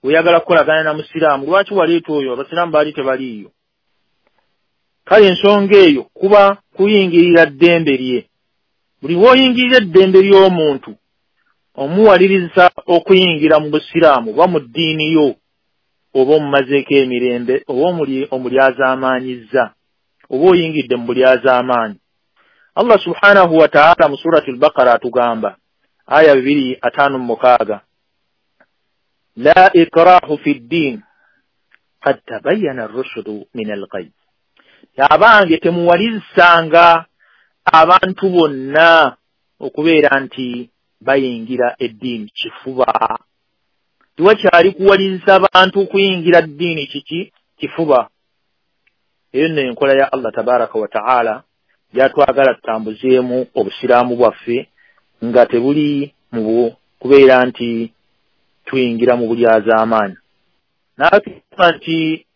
oyagala kukolagana na musiraamu, lwaki waleeta oyo? Abasiraamu baali tebaliiyo. Kale ensonga eyo kuba kuyingirira ddembe lye. Buli w'oyingirira eddembe ly'omuntu omuwaliriza okuyingira mu busiraamu oba mu ddiini yo, oba omumazeeko emirembe oba omulyazaamaanyizza oba oyingidde mu bulyazaamaanyi. Allah subhanahu wa ta'ala mu surati al-Baqara atugamba aya 256, la ikrahu fi ddin qad tabayyana ar-rushdu min al-ghayy. Abange temuwalizanga abantu bonna okubeera nti bayingira eddiini kifuba. Tiwakyali kuwaliza abantu kuyingira ddiini kiki kifuba. Eyo nno enkola ya Allah tabaraka wa ta'ala gyatwagala tutambuzeemu obusiraamu bwaffe nga tebuli mu kubeera nti tuyingira mu bulyazaamaanyi. N'atugamba nti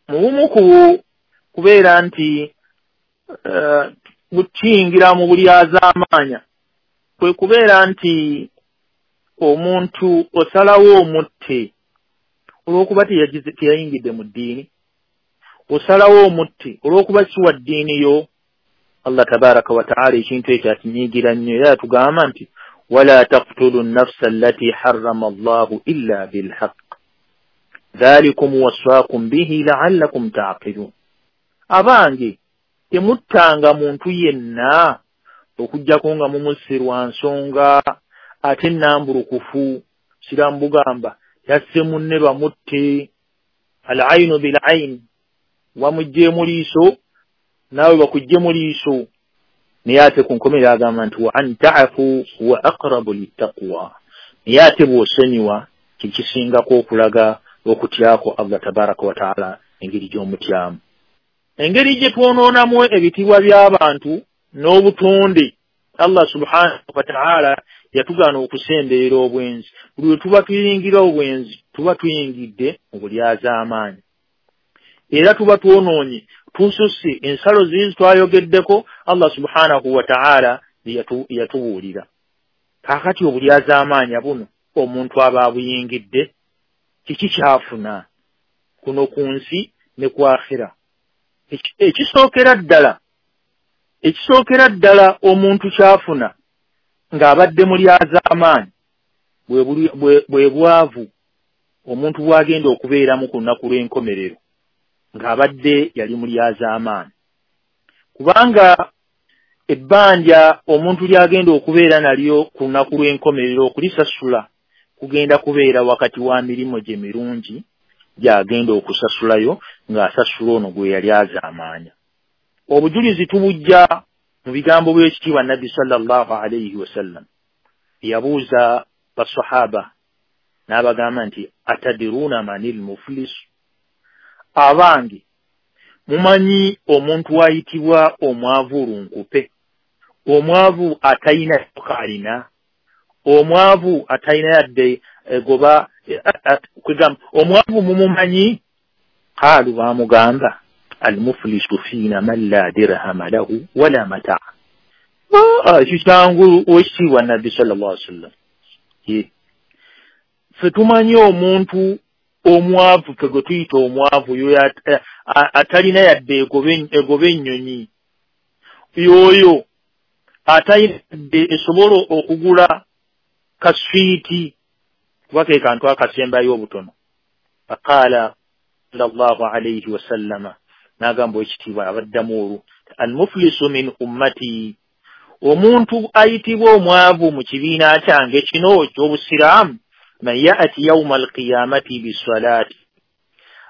mu bumu ku kubeera nti kuyingira mu bulyazaamaanya kwe kubeera nti omuntu osalawo omutte olw'okuba teyayingidde mu ddiini, osalawo omutte olw'okuba si wa ddiini yo. Allah tabaraka wa ta'ala ekintu ekyo akinyiigira nnyo era atugamba nti wala taqtulu nnafsa allati harrama Allahu illa bilhaq dhalikum wasaakum bihi la'allakum ta'qilun. Abange temuttanga muntu yenna okuggyako nga mumusse lwa nsonga ate nnambulukufu. Siraamu bugamba yasse munne bamutte, al-aynu bil-ayn, wamuggyemu liiso naawe bakuggyemu liiso. Naye ate ku nkomerero agamba nti wa an ta'fu huwa aqrabu littaqwa, naye ate bw'osonyiwa kikisingako okulaga okutyako Allah tabaraka wa ta'ala engeri gy'omutyamu. Engeri gye twonoonamu ebitiibwa by'abantu n'obutonde, Allah subhanahu wa ta'ala yatugaana okusemberera obwenzi. Buli lwe tuba tuyingira obwenzi tuba tuyingidde mu bulyazaamaanyi, era tuba twonoonye tususse ensalo ziri twayogeddeko Allah subhanahu wa ta'ala yatubuulira. Kaakati obulyazaamaanya buno omuntu aba abuyingidde kiki kyafuna kuno ku nsi ne ku akhira? Ekisookera ddala omuntu kyafuna ng'abadde mulyazaamaanyi bwe bwavu omuntu bw'agenda okubeeramu ku lunaku lw'enkomerero ng'abadde yali mulyazaamaanyi, kubanga ebbanja omuntu ly'agenda okubeera nalyo ku lunaku lw'enkomerero okulisasula kugenda kubeera wakati wa mirimu gye mirungi gy'agenda okusasulayo ng'asasula ono gwe yali azaamaanya. Obujulizi tubujja mu bigambo by'ekitiibwa Nabbi sallallahu alayhi wasallam yabuuza basahaba n'abagamba nti atadiruna manil muflis, abange mumanyi omuntu ayitibwa omwavu lunkupe, omwavu atayina kalina, omwavu atayina yadde egoba kwegamba omwavu mumumanyi? Qaalu bamugamba almuflisu fiina man la dirhama lahu wala mataa. Ekyo kyangu owekitiibwa Nabbi sallallahu alaihi wasallam. Ffe tumanyi omuntu omwavu, ffe gwe tuyita omwavu yoyo atalina yadde egoba ennyonyi, yoyo atalina yadde esobola okugula kaswiiti kuba ke kantu akasembayo obutono. Faqaala sallallahu alayhi wasallama, n'agamba ekitiibwa abaddamu olwo almuflisu min ummati, omuntu ayitibwa omwavu mu kibiina kyange kino eky'obusiraamu, man ya'ti yawma alqiyamati bisalati,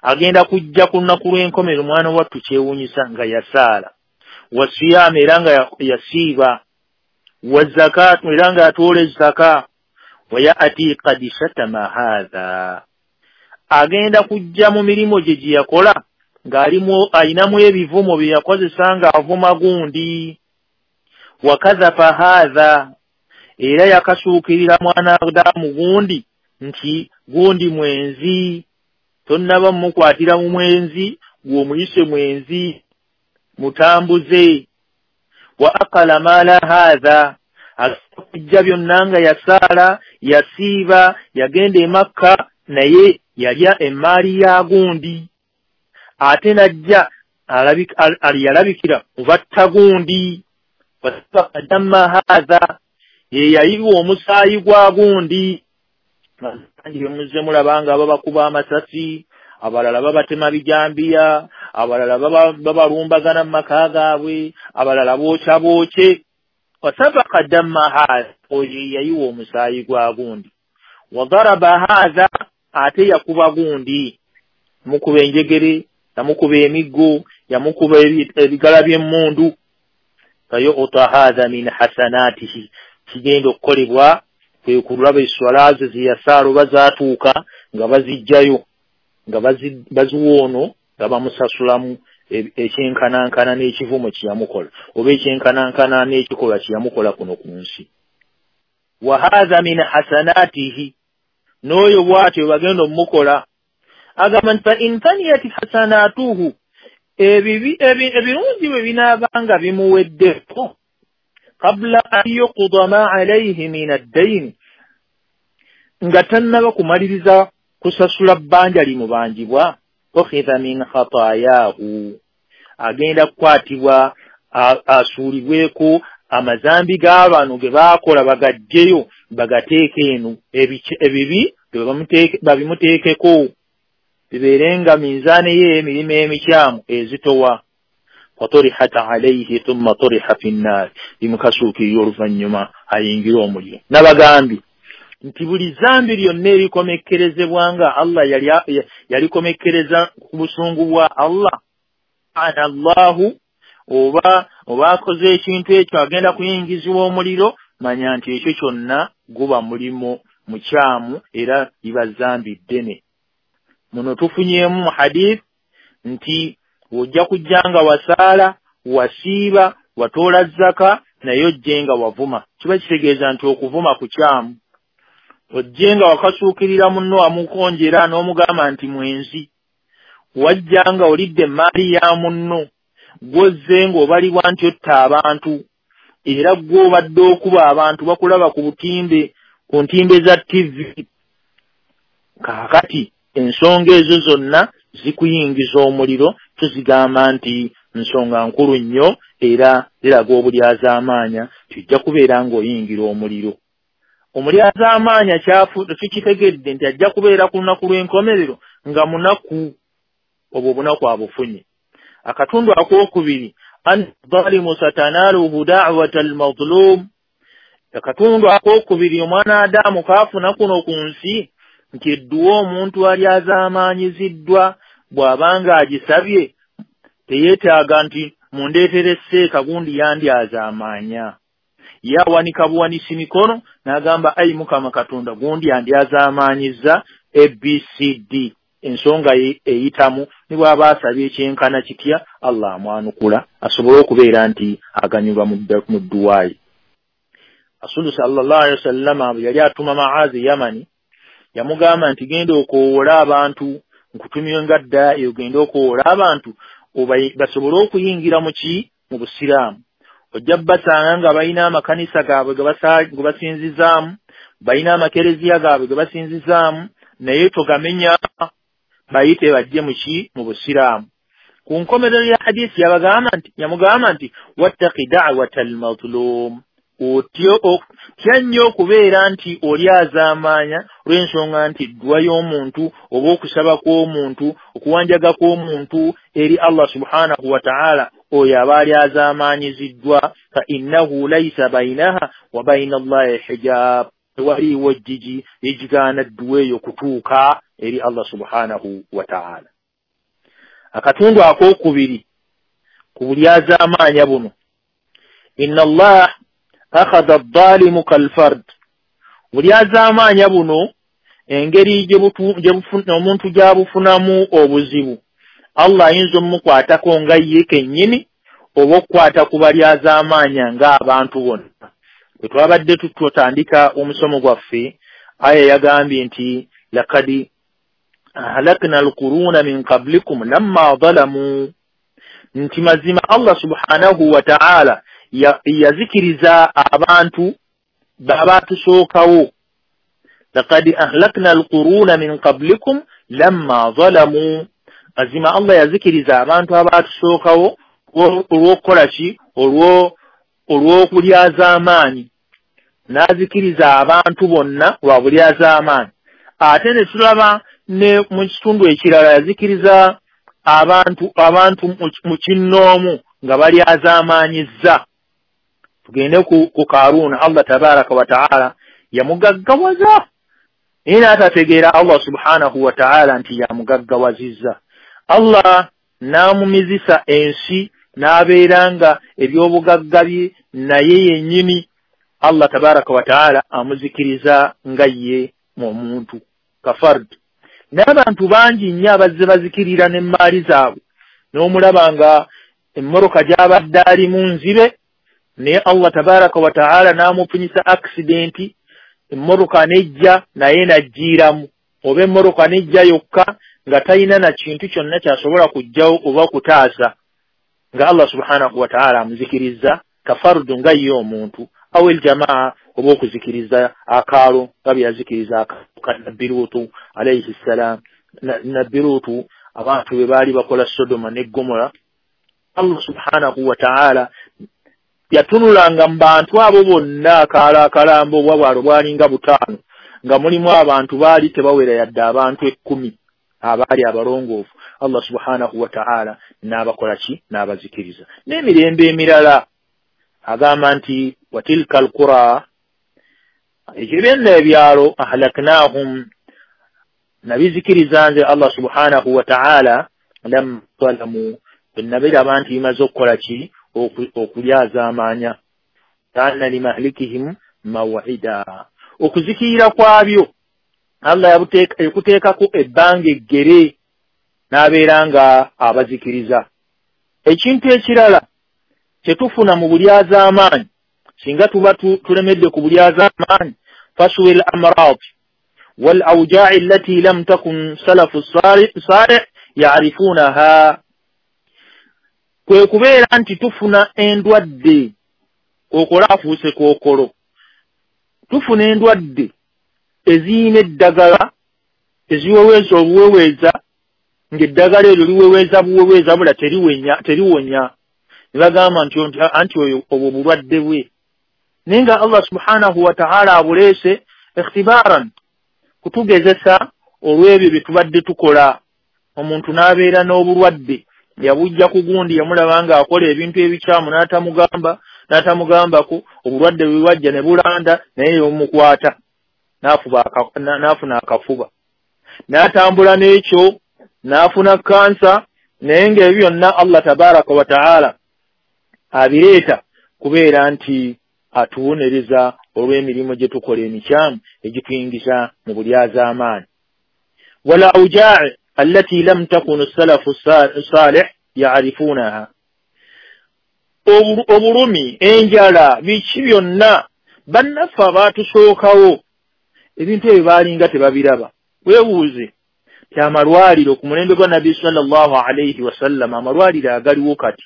agenda kujja ku lunaku lw'enkomerero omwana wattu kyewuunyisa nga yasaala, wasiyaamu era nga yasiiba, wazakaatu era nga yatoola ezaka, wa ya'ti qad shatama haadha, agenda kujja mu mirimu gye gye yakola ng'alimu ayinamu ebivumo bye yakozesa ng'avuma gundi, wakadhafa haadha, era yakasuukirira mwana damu gundi nti gundi mwenzi, tonnaba mmukwatira mu mwenzi gw'omuyise mwenzi mutambuze, wa aqala maala haadha, akujja byonna nga yasaala yasiiba yagenda e Makka naye yalya emmaali ya gundi, ate najja yalabikira mu batta gundi, wasabaka damma haadha, ye yayiwa omusaayi gwa gundi. Bangi bemuzze mulaba nga babakuba amasasi, Abalala babatema bijambiya, abalala babalumbagana mu maka gaabwe, abalala bookya bookye. Wasafaka damma haadha, oyo yayiwa omusaayi gwa gundi. Wadaraba haadha, ate yakuba gundi, mukuba enjegere, yamukuba emiggo, yamukuba ebigala by'emmundu. Fayuta haadha min hasanatihi, kigenda okukolebwa kwe kulaba esswala ze zeyasaala oba zaatuuka nga bazijjayo, nga baziwa ono nga bamusasulamu ekyenkanankana n'ekivumo kye yamukola oba ekyenkanankana n'ekikolwa kye yamukola kuno ku nsi. Wa haadha min hasanatihi, n'oyo bw'atyo bagenda omumukola. Agamba nti fa in faniyat hasanatuhu, ebirungi bwe binaabanga bimuweddeko, qabla an yuqda ma alayhi min ad-dayn, nga tannaba kumaliriza kusasula bbanja limubanjibwa, ukhidha min khataayahu, agenda kukwatibwa asuulibweko amazambi g'abano ge baakola bagajjeyo bagateeke eno, ebibi babimuteekeko bibeere nga minzaani ye emirimu emikyamu ezitowa. Faturihat alayhi thumma turiha fi nnaar, bimukasuukirira oluvannyuma ayingire omuliro. Nabagambye nti buli zambi lyonna erikomekkerezebwa nga Allah yalikomekkereza ku busungu bwa Allah, ana Allahu, oba akoze ekintu ekyo agenda kuyingizibwa omuliro, manya nti ekyo kyonna guba mulimo mukyamu era liba zambi ddene. Muno tufunyeemu mu hadith nti ojja kujja nga wasaala, wasiiba, watoola zaka, naye ojje nga wavuma. Kiba kitegeeza nti okuvuma kukyamu. Ojje nga wakasuukirira munno wamukonjera n'omugamba nti mwenzi. Wajja nga olidde emmaali ya munno, gw'ozze ng'obalibwa nti otta abantu, era gw'obadde okuba abantu bakulaba ku butimbe, ku ntimbe za TV. Kaakati ensonga ezo zonna zikuyingiza omuliro, tuzigamba nti nsonga nkulu nnyo era ziraga obulyazaamaanya, tujja kubeera ng'oyingira omuliro. Omulyazaamaanya tukitegedde nti ajja kubeera ku lunaku lw'enkomerero nga munaku, obwo obunaku abufunye. Akatundu akookubiri, an dhalimu satanaaluhu da'wata al-mazlum. Akatundu akookubiri omwana Adamu kaafuna kuno ku nsi nti edduwa omuntu alyazaamaanyiziddwa bw'abanga agisabye teyeetaaga nti mundeetere seeka gundi yandyazaamaanya. Yawanika buwanisi mikono n'agamba ayi Mukama Katonda gundi yandyazaamaanyizza ABCD. Ensonga eyitamu ne bw'aba asabye ekyenkana kitya Allah amwanukula asobole okubeera nti aganyulwa mu dduwa ye. Rasulu sallallahu alaihi wasallama yali atuma Maazi Yamani, yamugamba nti genda okoowola abantu, nkutumye nga dda ogende okoowola abantu basobole okuyingira mu ki? Mu Busiraamu. Ojja basanga nga balina amakanisa gaabwe ge basinzizaamu, balina amakereziya gaabwe ge basinzizaamu, naye togamenya, bayite bajje mu ki? Mu Busiraamu. Ku nkomerero ya hadisi yamugamba nti wattaqi da'wata al-mazlum, otya nnyo okubeera nti olyazaamaanya olw'ensonga nti dduwa y'omuntu oba okusaba kw'omuntu, okuwanjaga kw'omuntu eri Allah subhanahu wa ta'ala, oyo aba alyazaamaanyiziddwa. Fa innahu laysa bainaha wa baina Allahi hijab, tewaliiwo ejjigi ekigaana dduwa eyo kutuuka eri Allah subhanahu wa ta'ala. Akatundu akookubiri ku bulyazaamaanya buno, inna Allah akhadha adh-dhalimu kal-fard. Bulyazaamaanya buno engeri omuntu gy'abufunamu obuzibu, Allah ayinza omukwatako nga ye kennyini oba okukwata ku balyazaamaanya ng'abantu bonna. Bwe twabadde tutandika omusomo gwaffe, aya yagambye nti laqad ahlakna al-quruna min qablikum lamma zalamu, nti mazima Allah subhanahu wa ta'ala yazikiriza abantu babatusookawo. Laqad ahlakna al-quruna min qablikum lamma zalamu, mazima Allah yazikiriza abantu abatusookawo olw'okukola ki? Olw'okulyazaamaanyi. N'azikiriza abantu bonna lwa bulyazaamaanyi. Ate ne tulaba Ne mu kitundu ekirala yazikiriza abantu mu kinnoomu nga balyazaamaanyizza. Tugende ku Karuuna, Allah tabaraka wa taala yamugaggawaza, naye n'atategeera Allah subhanahu wa taala nti yamugaggawazizza. Allah n'amumizisa ensi n'abeera nga ebyobugagga bye naye yennyini Allah tabaraka wa taala amuzikiriza nga ye omuntu kafard. N'abantu bangi nnyo abazze bazikirira n'emmaali zaabwe, n'omulaba nga emmoroka gy'abadde alimu nzibe, naye Allah tabaraka wa taala n'amufunyisa accidenti, emmoroka nejja naye n'aggiiramu, oba emmoroka nejja yokka nga talina na kintu kyonna ky'asobola kuggyawo oba kutaasa, nga Allah subhanahu wa taala amuzikiriza kafardu nga ye omuntu, aw aljamaa, oba okuzikiriza akaalo nga bye yazikiriza akaalo ka Nabbi Luutu alayhi ssalam. Nabbi Luutu abantu be baali bakola Sodoma ne Gomora, Allah subhanahu wa taala yatunulanga mu bantu abo bonna akaalo akalambo obwa bwalo bwalinga 5, nga mulimu abantu baali tebawera yadde abantu 10 abaali abalongoofu. Allah subhanahu wa taala n'abakola ki? N'abazikiriza. N'emirembe emirala agamba nti watilka alqura, ekyo byonna ebyalo ahlaknahum, nabizikiriza nze Allah subhanahu wa taala lam zalamu, bwe nti bimaze okukola ki? Okulyazaamaanya. Kana limahlikihim mawida, okuzikirira kwabyo Allah yakuteekako ebbanga eggere n'abeera nga abazikiriza. Ekintu ekirala kyetufuna mu bulyazaamaanyi, singa tuba tulemedde ku bulyazaamaanyi, faswi l amrad wal awjai allati lam takun salafu salih yarifunaha, kwe kubeera nti tufuna endwadde, kookolo afuuse kookolo, tufuna endwadde eziyina eddagala eziweweeza obuweweeza, ng'eddagala eryo liweweeza buweweeza bula teriwonya, ne bagamba nti anti oyo obwo bulwadde bwe. Naye nga Allah subhanahu wa taala abuleese ikhtibaaran, kutugezesa olw'ebyo bye tubadde tukola. Omuntu n'abeera n'obulwadde yabujja ku gundi, yamulaba ng'akola ebintu ebikyamu n'atamugambako, obulwadde bwe bwajja ne bulanda naye yomukwata n'afuna akafuba, n'atambula n'ekyo n'afuna kansa. Naye ng'ebyo byonna Allah tabaraka wa taala abireeta kubeera nti atuwonereza olw'emirimu gye tukola emikyamu egituyingiza mu bulyazaamaanyi. Wal awjai allati lam takun salafu salih yarifunaha, obulumi, enjala, biki byonna bannaffe abaatusookawo ebintu ebyo baalinga tebabiraba. Weebuuze ti amalwaliro ku mulembe gwa Nabbi sallallahu alayhi wasallam, amalwaliro agaliwo kati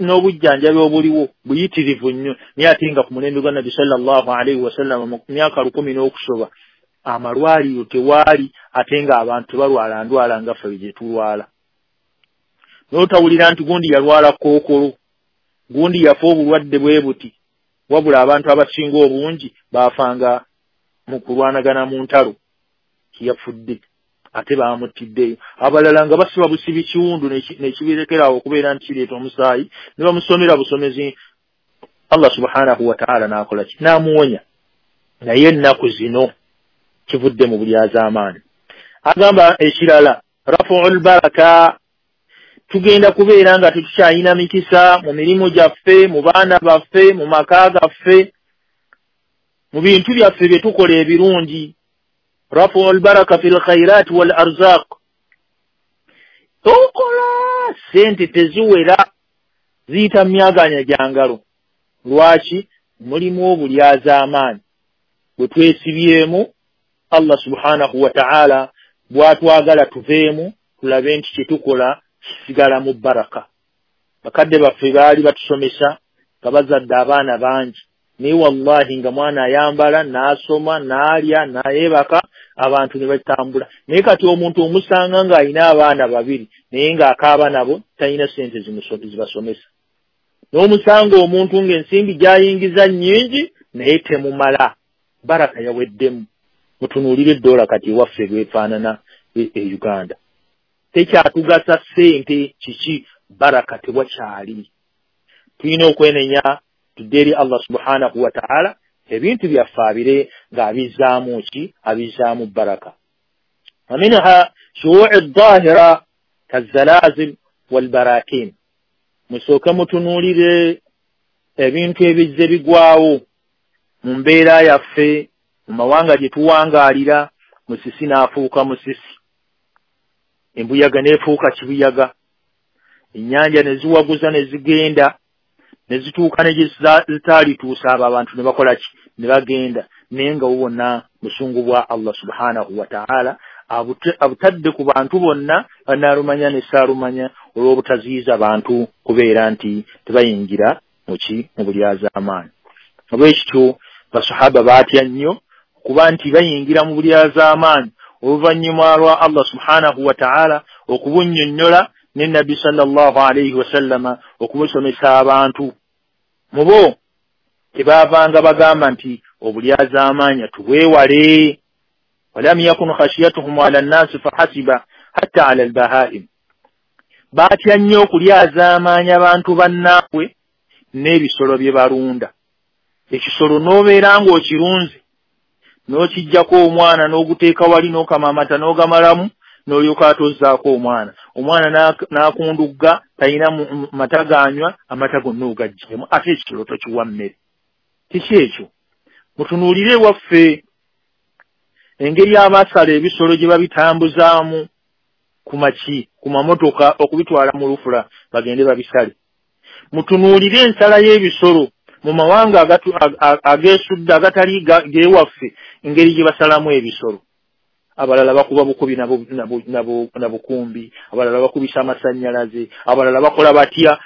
n'obujjanjabi obuliwo buyitirivu nnyo, naye ate nga ku mulembe gwa Nabbi sallallahu alayhi wasallam mu myaka 10 n'okusoba amalwaliro tewaali, ate nga abantu tebalwala ndwala nga ffe gye tulwala. N'otawulira nti gundi yalwala kookolo, gundi yafa obulwadde bwe buti, wabula abantu abasinga obungi baafanga mu kulwanagana mu ntalo, yafudde ate bamuttiddeyo. Abalala nga basiba busibi kiwundu nekibirekerawo okubeera nti kireeta omusaayi, ne bamusomera busomezi. Allah subhanahu wa taala n'akola ki? N'amuwonya. Naye ennaku zino kivudde mu bulyazaamaanyi. Agamba ekirala rafuul baraka, tugenda kubeera nga tetukyalina mikisa mu mirimu gyaffe, mu baana baffe, mu maka gaffe, mu bintu byaffe bye tukola ebirungi. Rafuul baraka fil khairat wal arzaq, tokola sente teziwera, ziyita myaganya gya ngalo. Lwaki? Mulimu obulyazaamaanyi bwe twesibyemu. Allah subhanahu wa taala bw'atwagala tuveemu, tulabe nti kye tukola kisigala mu baraka. Bakadde baffe baali batusomesa nga bazadde abaana bangi, naye wallahi nga mwana ayambala n'asoma n'alya n'ayebaka, abantu ne batambula. Naye kati omuntu omusanga ng'alina abaana 2 naye ng'akaaba nabo, talina sente zibasomesa. N'omusanga omuntu ng'ensimbi gy'ayingiza nnyingi naye temumala, baraka yaweddemu. Mutunuulire eddoola kati ewaffe bwefaanana, e Uganda. Tekyatugasa ssente kiki, baraka tewakyali. Tulina okwenenya tudde eri Allah subhanahu wa ta'ala, ebintu byaffe abire ng'abizzaamu ki, abizzaamu baraka. Waminha shuu'i dhahira kazalazil walbarakin. Musooke mutunuulire ebintu ebizze bigwawo mu mbeera yaffe, mu mawanga gye tuwangaalira. Musisi n'afuuka musisi, embuyaga n'efuuka kibuyaga, ennyanja ne ziwaguza ne zigenda ne zituuka ne gye zitaalituusa, abo abantu ne bakola ki, ne bagenda. Naye nga bwonna busungu bwa Allah subhanahu wa ta'ala abutadde ku bantu bonna, banaalumanya ne saalumanya, olw'obutaziyiza bantu kubeera nti tebayingira muki, mu bulyazaamaanyi. Olwekityo basahaba baatya nnyo kuba nti bayingira mu bulyazaamaanyi oluvannyuma lwa Allah subhanahu wa ta'ala okubunnyonnyola ne Nabbi sallallahu alayhi wasallama okubusomesa abantu. Mubo tebaavanga bagamba nti obulyazaamaanyi tubwewale. Walam yakun khashiyatuhum ala nnasi fahasiba hatta ala albahaim. Baatya nnyo okulyazaamaanyi abantu bannaabwe n'ebisolo bye balunda. Ekisolo n'obeera ng'okirunze n'okiggyako omwana n'oguteeka wali n'okama amata n'ogamalamu n'olyoka atozzaako omwana, omwana n'akundugga, talina mata ganywa, amata gonna ogaggyemu, ate ekisolo tokiwa mmere. Kiki ekyo? Mutunuulire ewaffe engeri abasala ebisolo gye babitambuzaamu ku maki, ku mamotoka okubitwala mu lufula bagende babisale. Mutunuulire ensala y'ebisolo mu mawanga ageesudde agatali gewaffe, engeri gye basalamu ebisolo. Abalala bakuba bukubi na bukumbi, abalala bakubisa amasannyalaze, abalala bakola batya,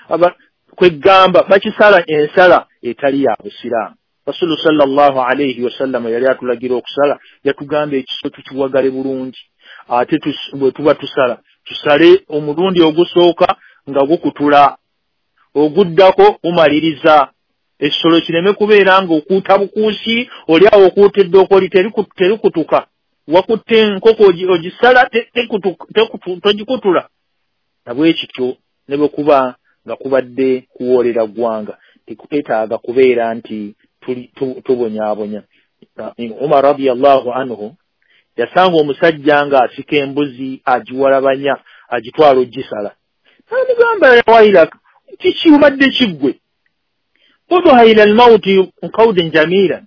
kwegamba bakisala ensala etali ya busiraamu. Rasulu sallallahu alayhi wasallam yali atulagira okusala, yatugamba ekiso tukiwagale bulungi, ate bwe tuba tusala tusale omulundi ogusooka nga gukutula, oguddako gumaliriza. Ekisolo kireme kubeera nga okuuta bukuusi, oli awo okuuta eddookoli terikutuka, wakutte enkoko ogisala togikutula. Nabwekityo ne bwe kuba nga kubadde kuwoolera ggwanga, tekwetaaga kubeera nti tubonyaabonya. Umar radiyallahu anhu yasanga omusajja ng'asika embuzi agiwalabanya agitwala ogisala. N'amugamba, wailaka, kiki obadde kiggwe? Uduha ila almauti qawdan jamila,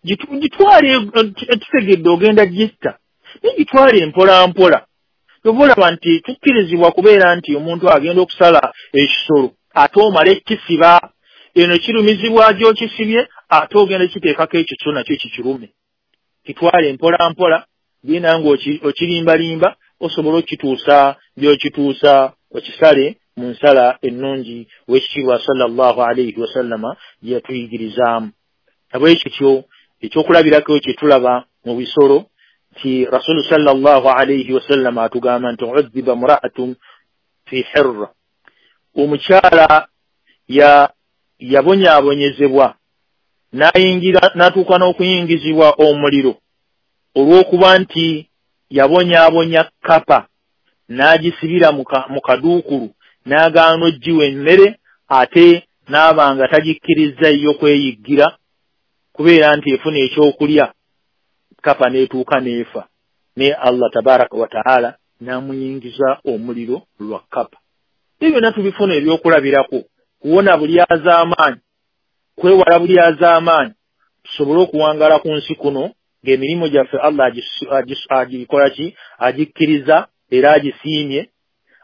gitwale tutegedde ogenda gitta, naye gitwale mpola mpola. Oba nti tukkirizibwa kubeera nti omuntu agenda okusala ekisolo ate omale ekisiba, eno kirumizibwa gy'okisibye ate ogenda kiteekako ekyo kyo nakyo kikirume. Kitwale mpola mpola, genda ng'okirimbalimba osobola okituusa gy'okituusa, okisale mu nsala ennungi w'ekitiibwa sallallahu alayhi wasallama gye yatuyigirizaamu. Nabwekityo ekyokulabirako kye tulaba mu bisolo nti Rasulu sallallahu alayhi wasallama atugamba nti udhiba mra'atun fi hirra, omukyala yabonyaabonyezebwa n'ayingira n'atuuka n'okuyingizibwa omuliro olw'okuba nti yabonyaabonya kapa n'agisibira mu kaduukulu n'agaana oggiwa emmere, ate n'aba nga tagikkiriza yo kweyiggira kubeera nti efuna ekyokulya, kapa n'etuuka n'efa. Ne Allah tabaraka wa ta'ala n'amuyingiza omuliro lwa kapa. Ebyo byonna tubifuna ebyokulabirako kuwona bulyazaamaanyi, kwewala bulyazaamaanyi, tusobole okuwangaala ku nsi kuno ng'emirimu gyaffe Allah agikola ki, agikkiriza era agisiimye,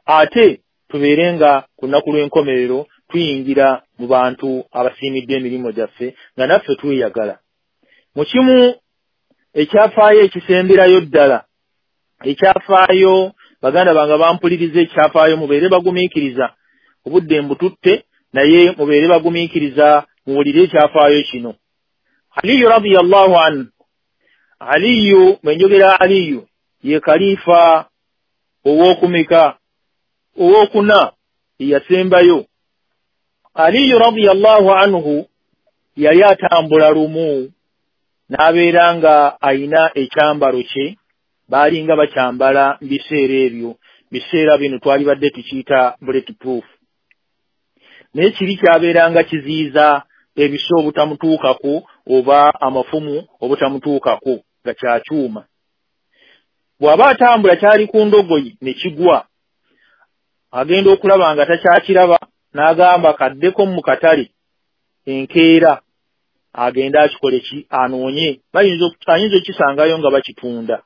ate tubeere nga ku lunaku lw'enkomerero tuyingira mu bantu abasiimidde emirimu gyaffe nga naffe tweyagala. Mu kimu ekyafaayo ekisemberayo ddala, ekyafaayo baganda bange bampuliriza, ekyafaayo mubeere bagumiikiriza, obudde mbututte naye mubeere bagumiikiriza muwulire ekyafaayo kino. Aliyu radiyallahu anhu, Aliyu bwe njogera Aliyu ye kalifa ow'okumeka, ow'okuna eyasembayo. Aliyu radiyallahu anhu yali atambula lumu n'abeera nga ayina ekyambalo kye Baalinga bakyambala mu biseera ebyo. Biseera bino twalibadde tukiyita bulletproof, naye kiri kyabeeranga kiziyiza ebiso obutamutuukako oba amafumu obutamutuukako, nga kya kyuma. Bw'aba atambula kyali ku ndogoyi ne kigwa, agenda okulaba nga takyakiraba, n'agamba kaddeko mu katale enkeera agende akikole ki, anoonye, ayinza okukisangayo nga bakitunda.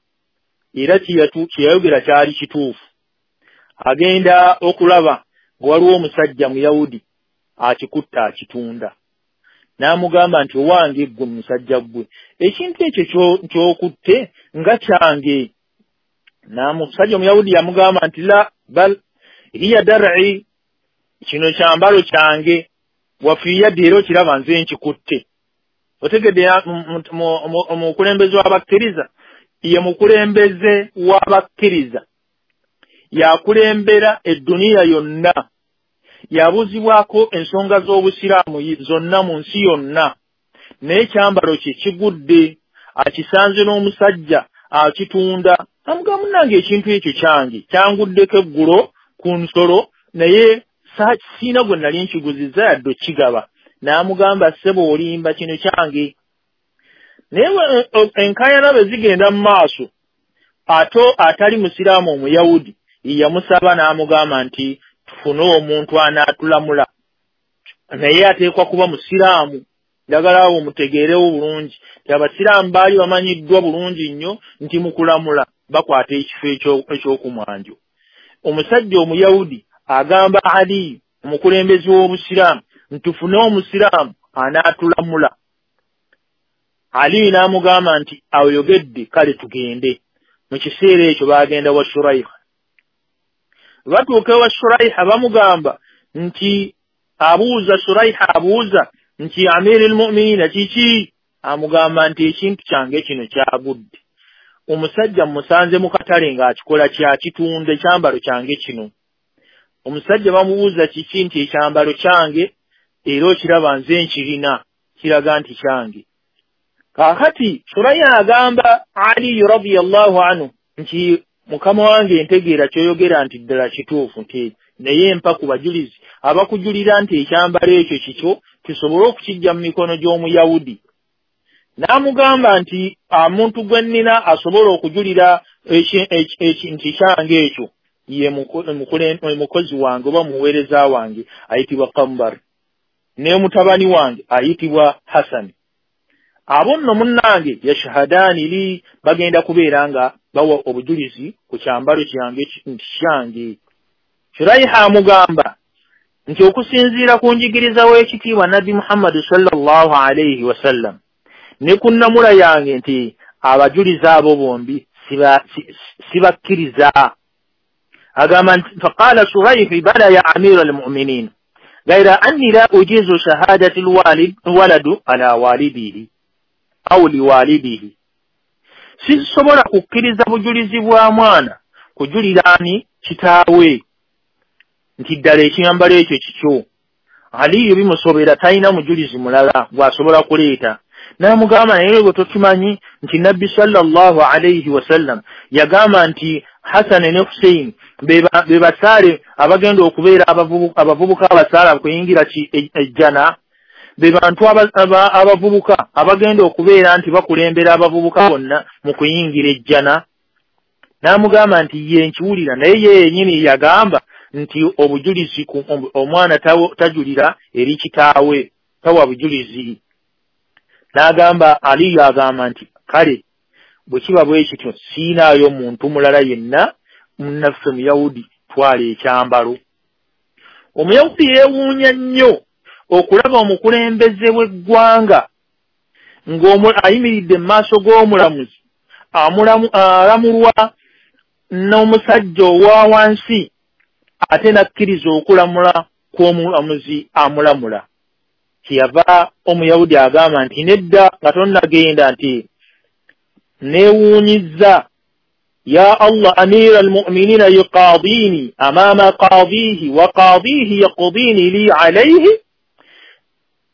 Era kyeyayogera kyali kituufu. Agenda okulaba nga waliwo omusajja Muyawudi akikutta akitunda, n'amugamba nti owange ggwe musajja ggwe, ekintu ekyo ky'okutte nga kyange. N'omusajja Omuyawudi yamugamba nti la bal hiya dar'i, kino kyambalo kyange, wafiyadde era okiraba nze nkikutte. Otegedde omukulembeze w'abakkiriza ye mukulembeze w'abakkiriza, yakulembera edduniya yonna, yabuuzibwako ensonga z'obusiraamu zonna mu nsi yonna, naye ekyambalo kye kigudde, akisanze n'omusajja akitunda. Amugamba munnange ekintu ekyo kyange, kyanguddeko eggulo ku nsolo, naye siina gwe nali nkiguzizza yadde okigaba. N'amugamba ssebo olimba, kino kyange. Naye enkaayana bwe zigenda mu maaso, ate atali musiraamu Omuyawudi yamusaba n'amugamba nti tufune omuntu anaatulamula, naye ateekwa kuba musiraamu. Njagala awo mutegeerewo bulungi nti abasiraamu baali bamanyiddwa bulungi nnyo nti mu kulamula bakwata ekifo eky'okumwanjo. Omusajja Omuyawudi agamba Ali omukulembeze w'obusiraamu nti tufune omusiraamu anaatulamula. Ali n'amugamba nti ayogedde, kale tugende. Mu kiseera ekyo baagenda wa Shuraiha. Batuuka ewa Shuraiha bamugamba nti abuuza Shuraiha abuuza nti Amiiri al-Mu'miniina kiki? Amugamba nti ekintu kyange kino kyagudde, omusajja mmusanze mu katale ng'akikola kyakitunda ekyambalo kyange kino. Omusajja bamubuuza kiki? Nti ekyambalo kyange era okiraba nze nkirina, kiraga nti kyange. Kaakati Shuraiha agamba Ali radiyallahu anhu nti mukama wange ntegeera ky'oyogera nti ddala kituufu, nti naye mpa ku bajulizi abakujulira nti ekyambalo ekyo kikyo tusobole okukijja mu mikono gy'Omuyawudi. N'amugamba nti omuntu gwe nnina asobola okujulira nti kyange ekyo ye mukozi wange oba muweereza wange ayitibwa Kambar, ne mutabani wange ayitibwa Hasani. Abo nno munnange yashhadaani li, bagenda kubeera nga bawa obujulizi ku kyambalo kyange nti kyange. Shuraiha amugamba nti okusinziira ku njigiriza w'ekitiibwa Nabbi Muhammad sallallahu alayhi wasallam ne ku nnamula yange nti abajulizi abo bombi sibakkiriza. Agamba nti faqala Shuraihi bala ya amira al-mu'minin gaira anni la ujizu shahadati alwaladu ala walidihi au liwalidihi, sisobola kukkiriza bujulizi bwa mwana kujulira ani kitaawe nti ddala ekyambalo ekyo kikyo. Aliyo bimusobera, talina mujulizi mulala gw'asobola kuleeta. N'amugamba naye gwe tokimanyi nti Nabbi sallallahu alayhi wasallam yagamba nti Hasan ne Hussein be basaale abagenda okubeera abavubuka abasaala kuyingira ejjana, be bantu abavubuka abagenda okubeera nti bakulembera abavubuka bonna mu kuyingira ejjana. N'amugamba nti ye nkiwulira, naye ye yennyini yagamba nti obujulizi omwana tajulira eri kitaawe, tawa bujulizi. N'agamba Aliyo agamba nti kale bwe kiba bwe kityo siinaayo muntu mulala yenna munnaffe Muyawudi, twala ekyambalo. Omuyawudi yeewuunya nnyo okulaba omukulembeze w'eggwanga ng'ayimiridde mu maaso g'omulamuzi alamulwa n'omusajja owa wansi, ate n'akkiriza okulamula kw'omulamuzi amulamula. Kyeyava Omuyawudi agamba nti nedda, nga tonnagenda nti neewuunyizza ya Allah amira almu'minina yuqadini amama qadihi wa qadihi yaqdini li alayhi.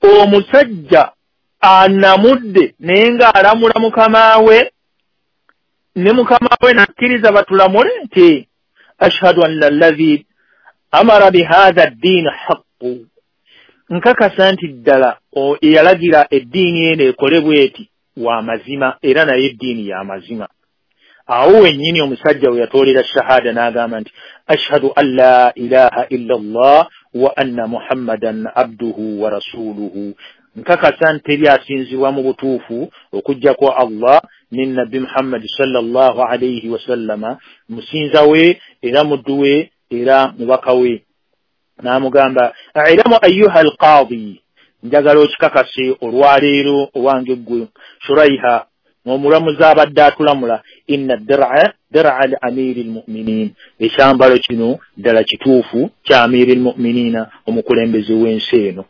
Omusajja anamudde naye ng'alamula mukama we, Ne mukama we nakkiriza batulamule nti ashhadu anna alladhi amara bihadha ad-din haqqu, nkakasa nti ddala eyalagira eddiini eno ekolebwe eti wa mazima, era naye eddiini ya mazima. Awo wennyini omusajja we yatoolera shahada n'agamba nti ashhadu an la ilaha illa Allah wa anna Muhammadan abduhu wa rasuluhu, nkakasa nti teri asinzibwa mu butuufu okuggyako Allah ne Nabbi Muhammad sallallahu alayhi wasallama musinza we era muddu we era mubaka we. N'amugamba ilamu ayyuha alqaadi, njagala okikakase olwaleero owange ggwe Shuraiha omulamuzi abadde atulamula, inna dir'a dir'a li amiri lmuminin, ekyambalo kino ddala kituufu kya amiri lmuminina, omukulembeze w'ensi eno.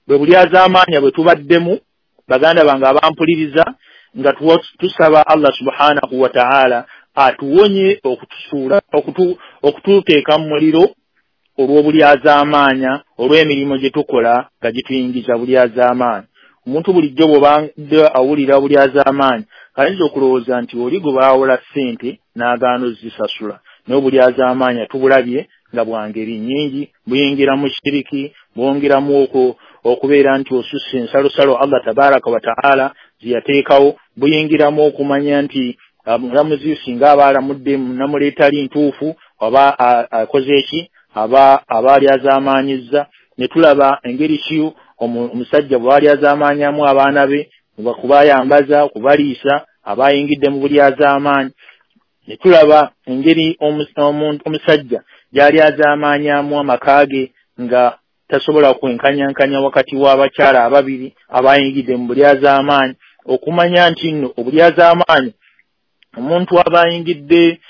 Bwe bulyazaamaanya bwe tubaddemu baganda bange abampuliriza, nga tusaba Allah subhanahu wa ta'ala atuwonye okutusuula okututeeka mu muliro olw'obulyazaamaanya, olw'emirimu gye tukola nga gituyingiza bulyazaamaanya. Omuntu bulijjo bw'obadde awulira obulyazaamaanyi ayinza okulowooza nti oli gwe baawola ssente n'agaana ozisasula, naye obulyazaamaanya tubulabye nga bwa ngeri nnyingi, buyingira mu shiriki, bwongeramu okubeera nti osusse ensalosalo Allah tabaraka wa ta'ala ziyateekawo, buyingiramu okumanya nti omulamuzi singa aba alamudde namuleeta ali ntuufu oba akoze eki aba alyazaamaanyizza. Ne tulaba engeri ki omusajja bw'alyazaamaanyamu abaana be kubayambaza, kubaliisa, aba ayingidde mu bulyazaamaanyi. Ne tulaba engeri omusajja gy'alyazaamaanyamu amaka ge nga tasobola kwenkanyankanya wakati w'abakyala ababiri, aba ayingidde mu bulyazaamaanyi. Okumanya nti nno obulyazaamaanyi omuntu aba ayingidde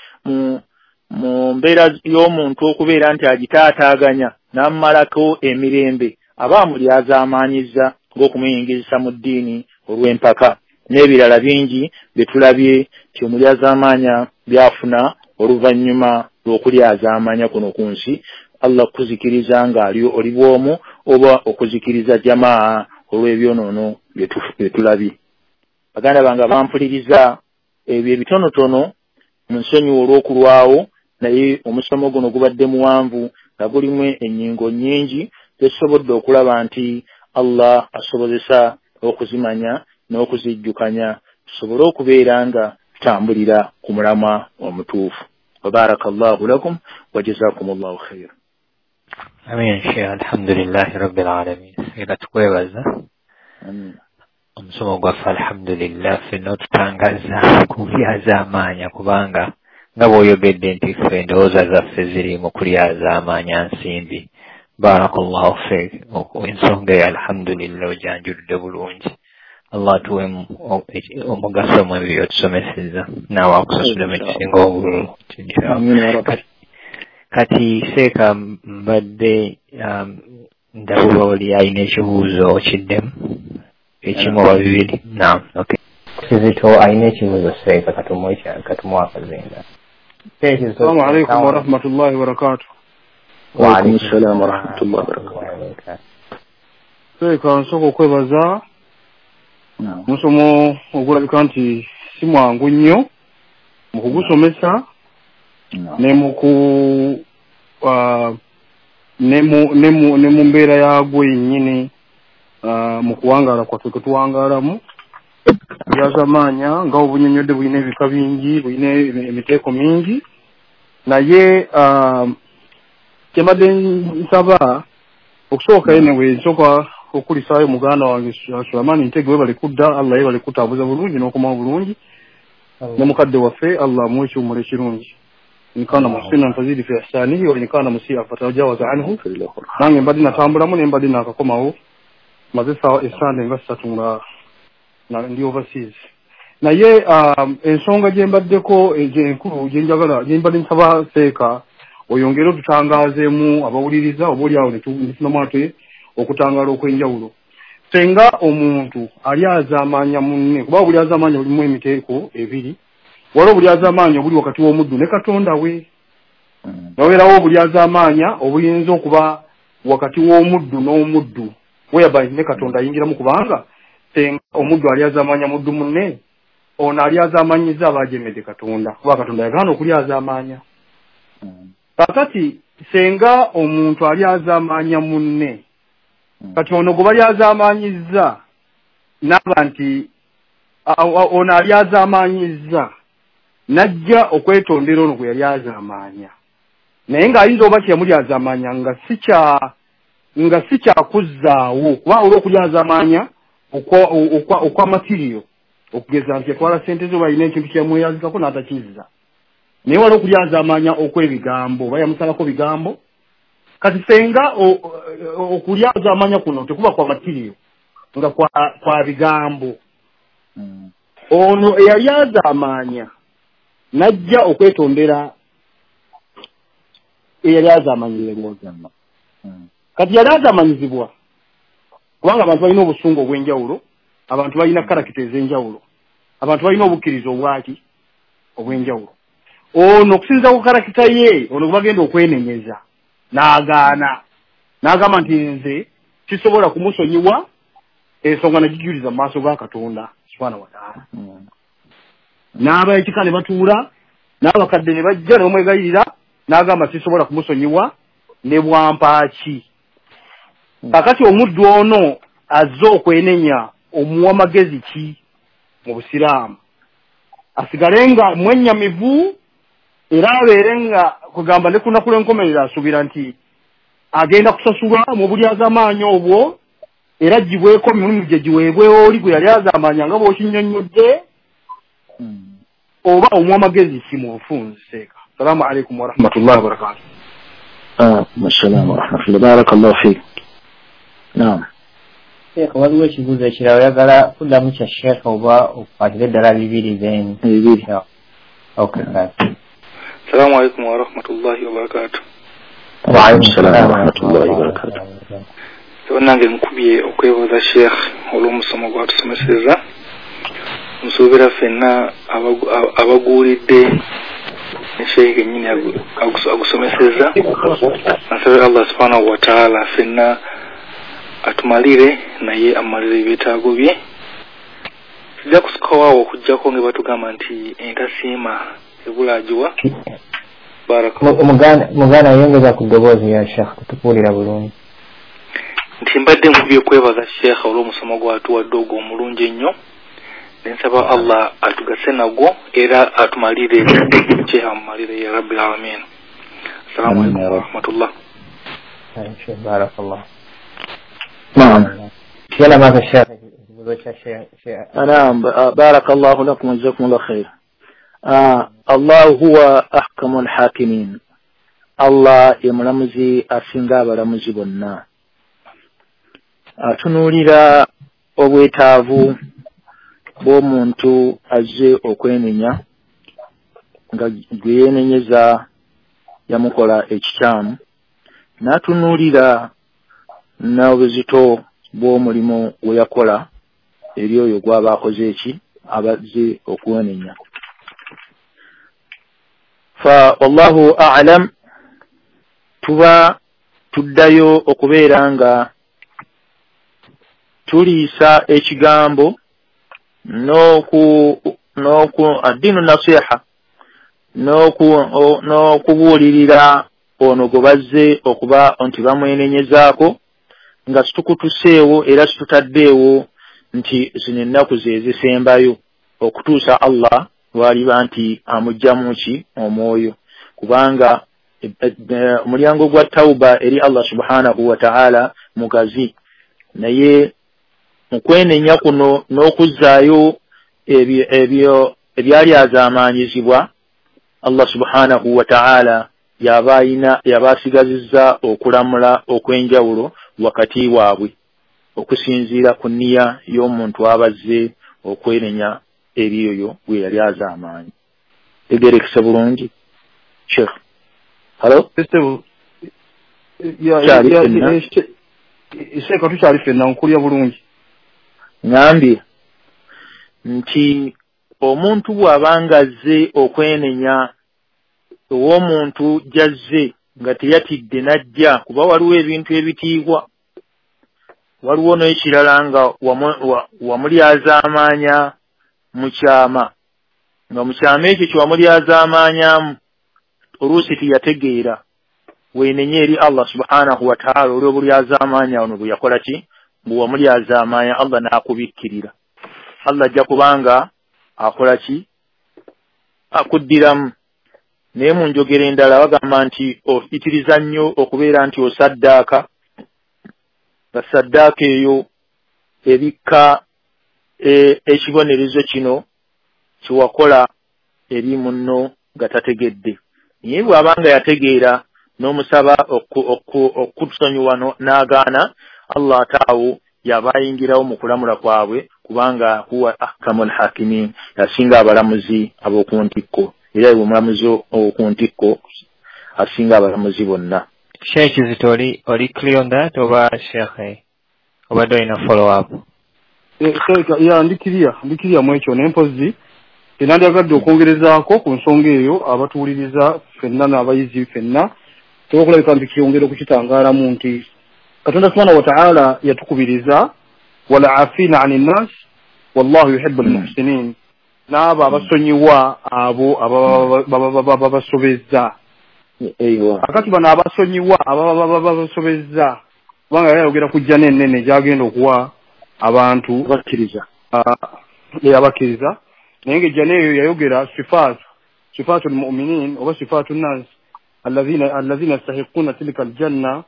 mu mbeera y'omuntu okubeera nti agitaataaganya n'amumalako emirembe, aba amulyazaamaanyizza ng'okumuyingizisa mu ddiini olw'empaka n'ebirala bingi bye tulabye nti omulyazaamaanya byafuna oluvannyuma lw'okulyazaamaanya kuno ku nsi. Allah kuzikiriza ng'ali oli bw'omu oba okuzikiriza jamaa olw'ebyonoono bye tulabye. Baganda bange abampuliriza, ebyo ebitonotono mu nsonyiwa olw'okulwawo, naye omusomo guno gubadde muwanvu nga gulimu ennyingo nnyingi tesobodde okulaba nti Allah asobozesa okuzimanya n'okuzijjukanya tusobole okubeera nga tutambulira ku mulamwa omutuufu. Wabarakallahu lakum wa jazakumullahu khair. Amin. Sheikh, alhamdulillahi rabbil alamin. Era tukwebaza omusomo gwaffe, alhamdulillah, ffenna otutangaza ku bulyazaamaanya, kubanga nga bw'oyogedde nti ffe endowooza zaffe ziri mu kulyazaamaanya nsimbi. Barakallahu fiik. Ensonga eyo alhamdulillah ojanjuludde bulungi. Allah atuwe omugaso mu ebyo by'otusomesezza, naawe akusasulemu ekisinga obululu. Kati seeka mbadde ndabula oli alina ekibuuzo okiddemu ekimu oba bibiri. Naam, okay. Kizito alina ekibuuzo seeka, katumuwe akazinga. Assalamu alaikum warahmatullahi wabarakatuh. Wa alaikum assalam warahmatullahi wabarakatuh. Seeka, nsooka okwebaza omusomo ogulabika nti si mwangu nnyo mu kugusomesa ne mu mbeera yaagwo yennyini mu kuwangaala kwaffe kwe tuwangaalamu. Bulyazaamaanya nga obunyonnyodde bulina ebika bingi, bulina emiteeko mingi, naye kyembadde nsaba okusooka anyway, nsooka okulisaayo muganda wange Sulaiman Ntege, webale kudda, Allah yebale kutambuza bulungi n'okomawo bulungi, ne mukadde waffe Allah amuwe ekiwummulo ekirungi. In kana muhsinan fazidi fi ihsanihi wa in kana musii'an fatajawaza anhu. Nange mbadde natambulamu ne mbadde naakakomawo, maze essande nga ssatu nga ndi overseas. Naye ensonga gye mbaddeko enkulu gye njagala gye mbadde nsaba seeka oyongere otutangaazeemu abawuliriza, oba oli awo ne tufunamu ate okutangaala okw'enjawulo. Senga omuntu alyazaamaanya munne, kuba obulyazaamaanya bulimu emiteeko ebiri, waliwo obulyazaamaanya obuli wakati w'omuddu ne Katonda we, naweerawo obulyazaamaanya obuyinza okuba wakati w'omuddu n'omuddu, whereby ne Katonda ayingiramu, kubanga senga omuddu alyazaamaanya muddu munne, Ono alyazaamaanyiza aba ajemedde Katonda, kuba Katonda yagaana okulyazaamaanya. Kakati senga omuntu alyazaamaanya munne, kati ono gwe balyazaamaanyizza n'aba nti ono alyazaamaanyizza n'ajja okwetondera ono gwe yalyazaamaanya, naye ng'ayinza oba kyeyamulyazaamaanya nga si kyakuzzaawo, kuba olw'okulyazaamaanya okwa matiriyo, okugeza nti yatwala ssente zo balina ekintu kyeyamweyazikako n'atakizza, naye waliwo okulyazaamaanya okw'ebigambo oba yamusalako bigambo. Kati senga okulyazaamaanya kuno tekuba kwa matiriyo nga kwa bigambo, ono eyalyazaamaanya n'ajja okwetondera eyalyazaamanyizibwa. Kati yalyazaamanyizibwa kubanga abantu balina obusungu obw'enjawulo, abantu balina karakita ez'enjawulo, abantu balina obukkiriza obwaki obw'enjawulo. Ono okusinziira ku karakita ye, ono bagenda okwenenyeza n'agaana, n'agamba nti nze sisobola kumusonyiwa, ensonga nagijuliza mu maaso ga Katonda subhanahu wa ta'ala. N'aba ekika ne batuula, n'abakadde ne bajja ne bamwegayirira, n'agamba sisobola kumusonyiwa ne bwampaaki. Kakati omuddu ono azze okwenenya omuwa magezi ki mu Busiraamu? Asigale nga mwennyamivu era abeere nga kugamba ne ku lunaku lw'enkomerero asuubira nti agenda kusasulwa mu bulyazaamaanyi obwo, era aggyibweko emirimu gye giweebwe oli gwe yali azaamaanya nga bw'okinnyonnyodde, oba omuwa magezi ki mu bufunze? Seeka. Salaamu alaikum warahmatullahi wabarakatuh. Assalamu warahmatullahi barakallahu fiik. Naam. Sheikh, waliwo ekibuuzo ekirala oyagala kuddamu kya Sheikh oba okukwatira eddala bibiri then? Bibiri. Okay. Assalamu alaikum warahmatullahi wabarakatuh. Wa alaikum salaam warahmatullahi wabarakatuh. Nange nkubye okwebaza Sheikh olw'omusomo gwatusomeseza. Nsuubira ffenna abaguulidde Sheikh yennyini agusomeseza. Nsabira Allah subhanahu wa ta'ala ffenna atumalire naye amalire ebyetaago bye. Sijja kusukawaawo okuggyako nga batugamba nti entasiima ebulaagiwa. Muganda yongeza ku ddoboozi ya Sheikh, tetukuwulira bulungi. Nti mbadde nkubye okwebaza Sheikh olw'omusomo gwatuwadde ogwo omulungi ennyo, nensaba Allah atugase nagwo era atumalire Sheikh amumalire ya Rabbil alamin. Assalamu alaikum warahmatullah. Barakallah. Naam. Yala maza Sheikh. Naam, barakallahu lakum wa jazakumullahu khair. Allah huwa ahkamul hakimin. Allah ye mulamuzi asinga abalamuzi bonna. Atunuulira obwetaavu bw'omuntu azze okwenenya nga gwe yeenenyeza yamukola ekikyamu, n'atunuulira n'obuzito bw'omulimu gwe yakola eri oyo gw'aba akoze eki abazze okwenenya. Fa wallahu a'lam, tuba tuddayo okubeera nga tuliisa ekigambo n'oku addiinu nasiha n'okubuulirira ono gwe bazze okuba nti bamwenenyezaako nga situkutuseewo era situtaddeewo nti zino ennaku ze zisembayo okutuusa Allah lwaliba nti amuggyamu ki omwoyo, kubanga omulyango gwa tawuba eri Allah subhanahu wa ta'ala mugazi. Naye mu kwenenya kuno n'okuzzaayo ebyo ebyali azaamaanyizibwa, Allah subhanahu wa ta'ala yaba asigazizza okulamula okw'enjawulo wakati waabwe okusinziira ku nniya y'omuntu abazze okwenenya eri oyo gwe yali azaamaanyi. Tegerekese bulungi Sheikh? Halo? Sheikh, tukyali ffenna, nkulya bulungi. Ngambye nti omuntu bw'abanga azze okwenenya ow'omuntu gy'azze nga teyatidde n'ajja, kuba waliwo ebintu ebitiibwa, waliwo n'ekirala nga wamulyazaamaanya mu kyama, nga mu kyama ekyo kyewamulyazaamaanyamu oluusi tiyategeera, weenenye eri Allah subhanahu wa ta'ala olw'obulyazaamaanya ono bwe yakola ki, bwe wamulyazaamaanya Allah n'akubikkirira. Allah ajja kubanga akola ki, akuddiramu. Naye mu njogera endala bagamba nti oyitiriza nnyo okubeera nti osaddaaka, nga saddaaka eyo ebikka ekibonerezo kino kyewakola eri munno nga tategedde. Naye bw'abanga yategeera n'omusaba okutusonyiwa n'agaana, Allah ataawo yaba ayingirawo mu kulamula kwabwe, kubanga huwa ahkamul hakimin, yasinga abalamuzi ab'oku ntikko, era ye omulamuzi ow'oku ntikko asinga abalamuzi bonna. Sheikh Kizito, oli clear on that oba Sheikh obadde olina follow up? Ya, ndikiriya mu ekyo, naye mpozzi enandyagadde okwongerezaako ku nsonga eyo abatuwuliriza ffenna n'abayizi ffenna tuba okulabika nti kyongera okukitangaalamu nti Katonda subhanahu wa ta'ala yatukubiriza wala afina ani nnas wallahu yuhibbu almuhsinin, n'abo abasonyiwa abo ababa babasobezza. Akati bano abasonyiwa ababa babasobezza, kubanga yali ayogera ku jjana ennene gy'agenda okuwa abantu bakkiriza, abakkiriza, naye ng'ejjana eyo yayogera sifaatu almuminin oba sifaatu nnas alladhina yastahiquna tilka aljanna,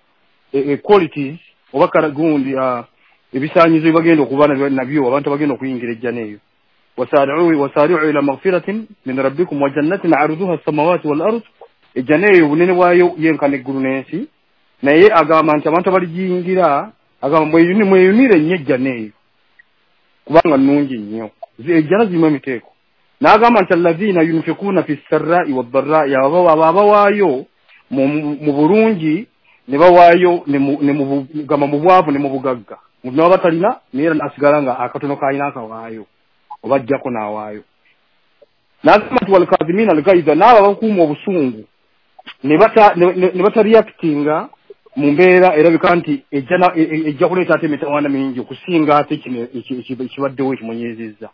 qualities oba gundi ebisaanyizo byebagenda okuba nabyo abantu abagenda okuyingira ejjana eyo. Wasari'u ila maghfiratin min rabbikum wa jannatin 'arduha as-samawati wal ard, ejjana eyo obunene bwayo yenkana eggulu n'ensi, naye agamba nti abantu abaligiyingira, agamba mweyunire nnyo ejjana eyo kubanga nnungi nnyo, ejjana zirimu emiteeko. N'agamba nti alladhina yunfikuna fi ssarra'i wad-dharra'i, abo abawaayo mu bulungi ne bawaayo gamba mu bwavu ne mu bugagga, omuntu n'aba talina naye era asigala nga akatono k'alina akawaayo oba ajjako n'awaayo. N'agamba nti walkazimina algaiza, n'abo abakuuma obusungu ne batareactinga mu mbeera erabika nti ejja kuleeta ate emitawaana mingi okusinga ate kino ekibaddewo ekimunyiizizza.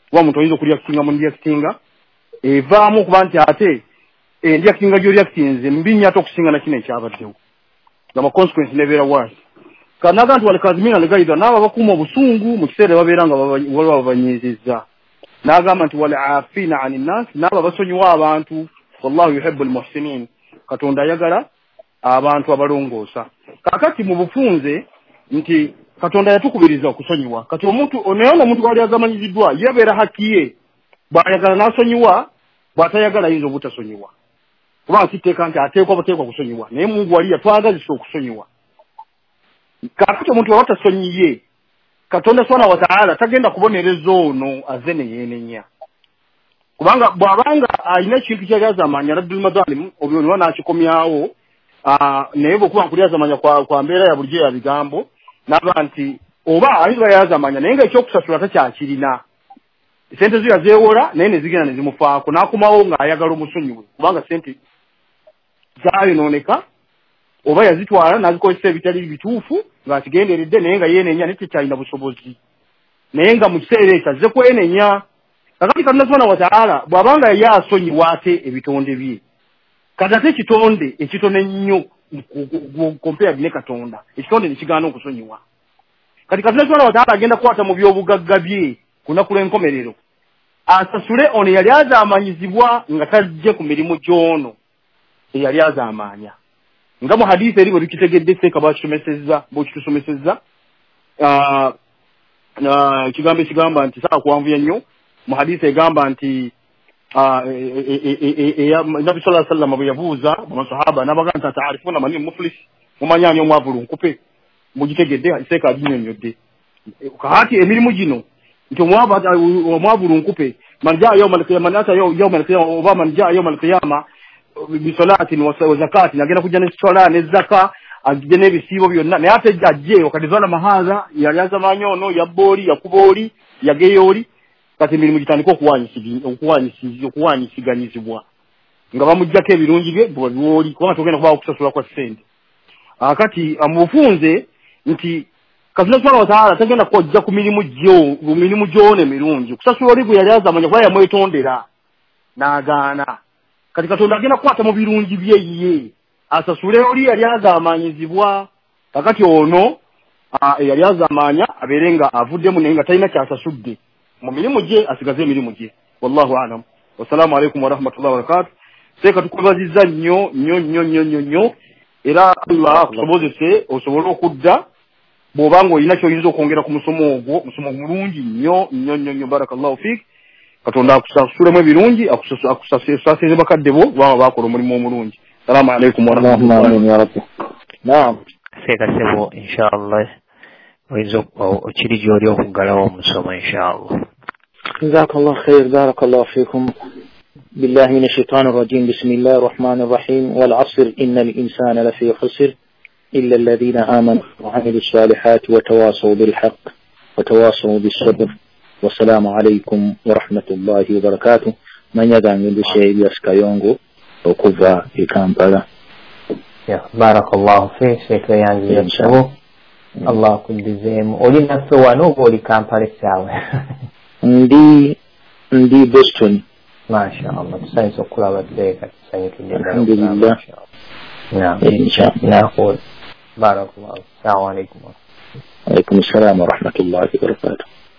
Kuba omuntu oyinza okureactinga mu reactinga evaamu okuba nti ate enreactinga gy'oreactinze mbi nnyo ate okusinga na kino ekyabaddewo, ngama consequence nebeera worse. Kanaga nti walkazimina algaiza, n'abo abakuuma obusungu mu kiseera babeera nga waliwo ababanyiizizza. N'agamba nti wal afina ani nnas, n'abo abasonyiwa abantu, wallahu yuhibbu almuhsinin, Katonda ayagala abantu abalongoosa. Kaakati mu bufunze nti Katonda yatukubiriza okusonyiwa. Kati omuntu naye ono omuntu gwali azamanyiziddwa yebeera haki ye, bw'ayagala n'asonyiwa, bw'atayagala ayinza obutasonyiwa, kubanga kiteeka nti ateekwa buteekwa kusonyiwa, naye Mungu wali yatwagazisa okusonyiwa. Kaakati omuntu bw'aba tasonyiye, Katonda subhanahu wa ta'ala tagenda kubonereza ono azze ne yeenenya, kubanga bw'abanga alina ekintu ky'alyazamanya raddul madhalim oba n'akikomyawo, naye bw'okuba nkulyazamanya kwa mbeera ya bulijjo ya bigambo, n'aba nti oba ayinza yazamanya naye nga ekyokusasula takyakirina, sente zo yazeewola naye ne zigenda ne zimufaako, n'akomawo ng'ayagala omusonyiwe kubanga sente zaayonooneka oba yazitwala n'azikozesa ebitali bituufu ng'akigenderedde, naye nga yeenenya naye tekyalina busobozi, naye nga mu kiseera ekyo azze kwenenya. Kakati Katonda subhanahu wa ta'ala bw'abanga ye asonyiwa ate ebitonde bye, kati ate ekitonde ekitono ennyo compared ne Katonda, ekitonde ne kigaana okusonyiwa. Kati Katonda subhanahu wa ta'ala agenda kukwata mu by'obugagga bye ku lunaku lw'enkomerero asasule ono eyali azaamanyizibwa nga tajje ku mirimu gy'ono eyali azaamaanya. Nga mu hadithi eri bwe tukitegedde seeka bwekitusomesezza ekigambo ekigamba nti saa kuwanvuya nnyo, mu hadithi egamba nti Nabbi sallallahu alaihi wasallam bwe yabuuza bamasahaba n'abagamba nti ataarifuna mani muflis, mumanyi ani omwavu lunkupe, mugitegedde seeka aginnyonnyodde. Kaati emirimu gino nti omwavu lunkupe man jaa yawma alqiyama, man ata yawma alqiyama oba man jaa yawma alqiyama bisalatin wa zakatin, agenda kujja ne swala ne zaka, ajje n'ebisiibo byonna, naye ate ajje wakati zalama hadha, yali azamanya ono, yabba oli, yakuba oli, yageya oli, kati emirimu gitandika okuwanyisiganyizibwa nga bamuggyako ebirungi bye bwebabiwa oli, kubanga togenda kubaawo okusasula kwa ssente. Akati amubufunze nti Katonda subhanahu wa ta'ala tagenda kujja ku mirimu gyo, ku mirimu gy'ono emirungi kusasula oli gwe yali azamanya kuba yamwetondera n'agaana. Kati Katonda agenda kukwata mu birungi bye ye asasule oli yali azamanyizibwa. Kakati ono eyali azamanya abeere nga avuddemu naye nga talina kyasasudde mu mirimu gye, asigaze emirimu gye. Wallahu alam. Wassalamu alaikum warahmatullahi wabarakatuh. Seeka tukwebazizza nnyo nnyo nnyo nnyo nnyo nnyo, era Allah akusobozese osobole okudda bw'oba ng'olina ky'oyinza okwongera ku musomo ogwo, musomo mulungi nnyo nnyo nnyo nnyo. Barakallahu fiik. Katonda akusasulemu ebirungi, akusaasire bakadde bo kubanga baakola omulimu omulungi. Salaamu alaikum warahmatullahi. Amin ya rabbi. Naam. Seeka sebo, inshallah oyinza okiri gy'oli okuggalawo omusomo inshallah. Jazakallah khair, barakallahu fikum. بالله من الشيطان الرجيم. بسم الله الرحمن الرحيم. والعصر إن الإنسان لفي خسر إلا الذين آمنوا وعملوا الصالحات وتواصوا بالحق وتواصوا بالصبر. والسلام عليكم ورحمة الله وبركاته. من يدعم بالشيء يسكيونغو وكفا في كامبالا. بارك الله فيك شيخ يانزي. الله كل زين ولي نفسه وانو ولي كامبالا ساوي. ndi Boston. ما شاء الله tusanyuse okulaba seeka, tusanyukidde ddala. Alhamdulillah. Naam. Inshallah. Naqul barakallahu. Assalamu alaikum. Alaikum assalam wa rahmatullahi wa barakatuh.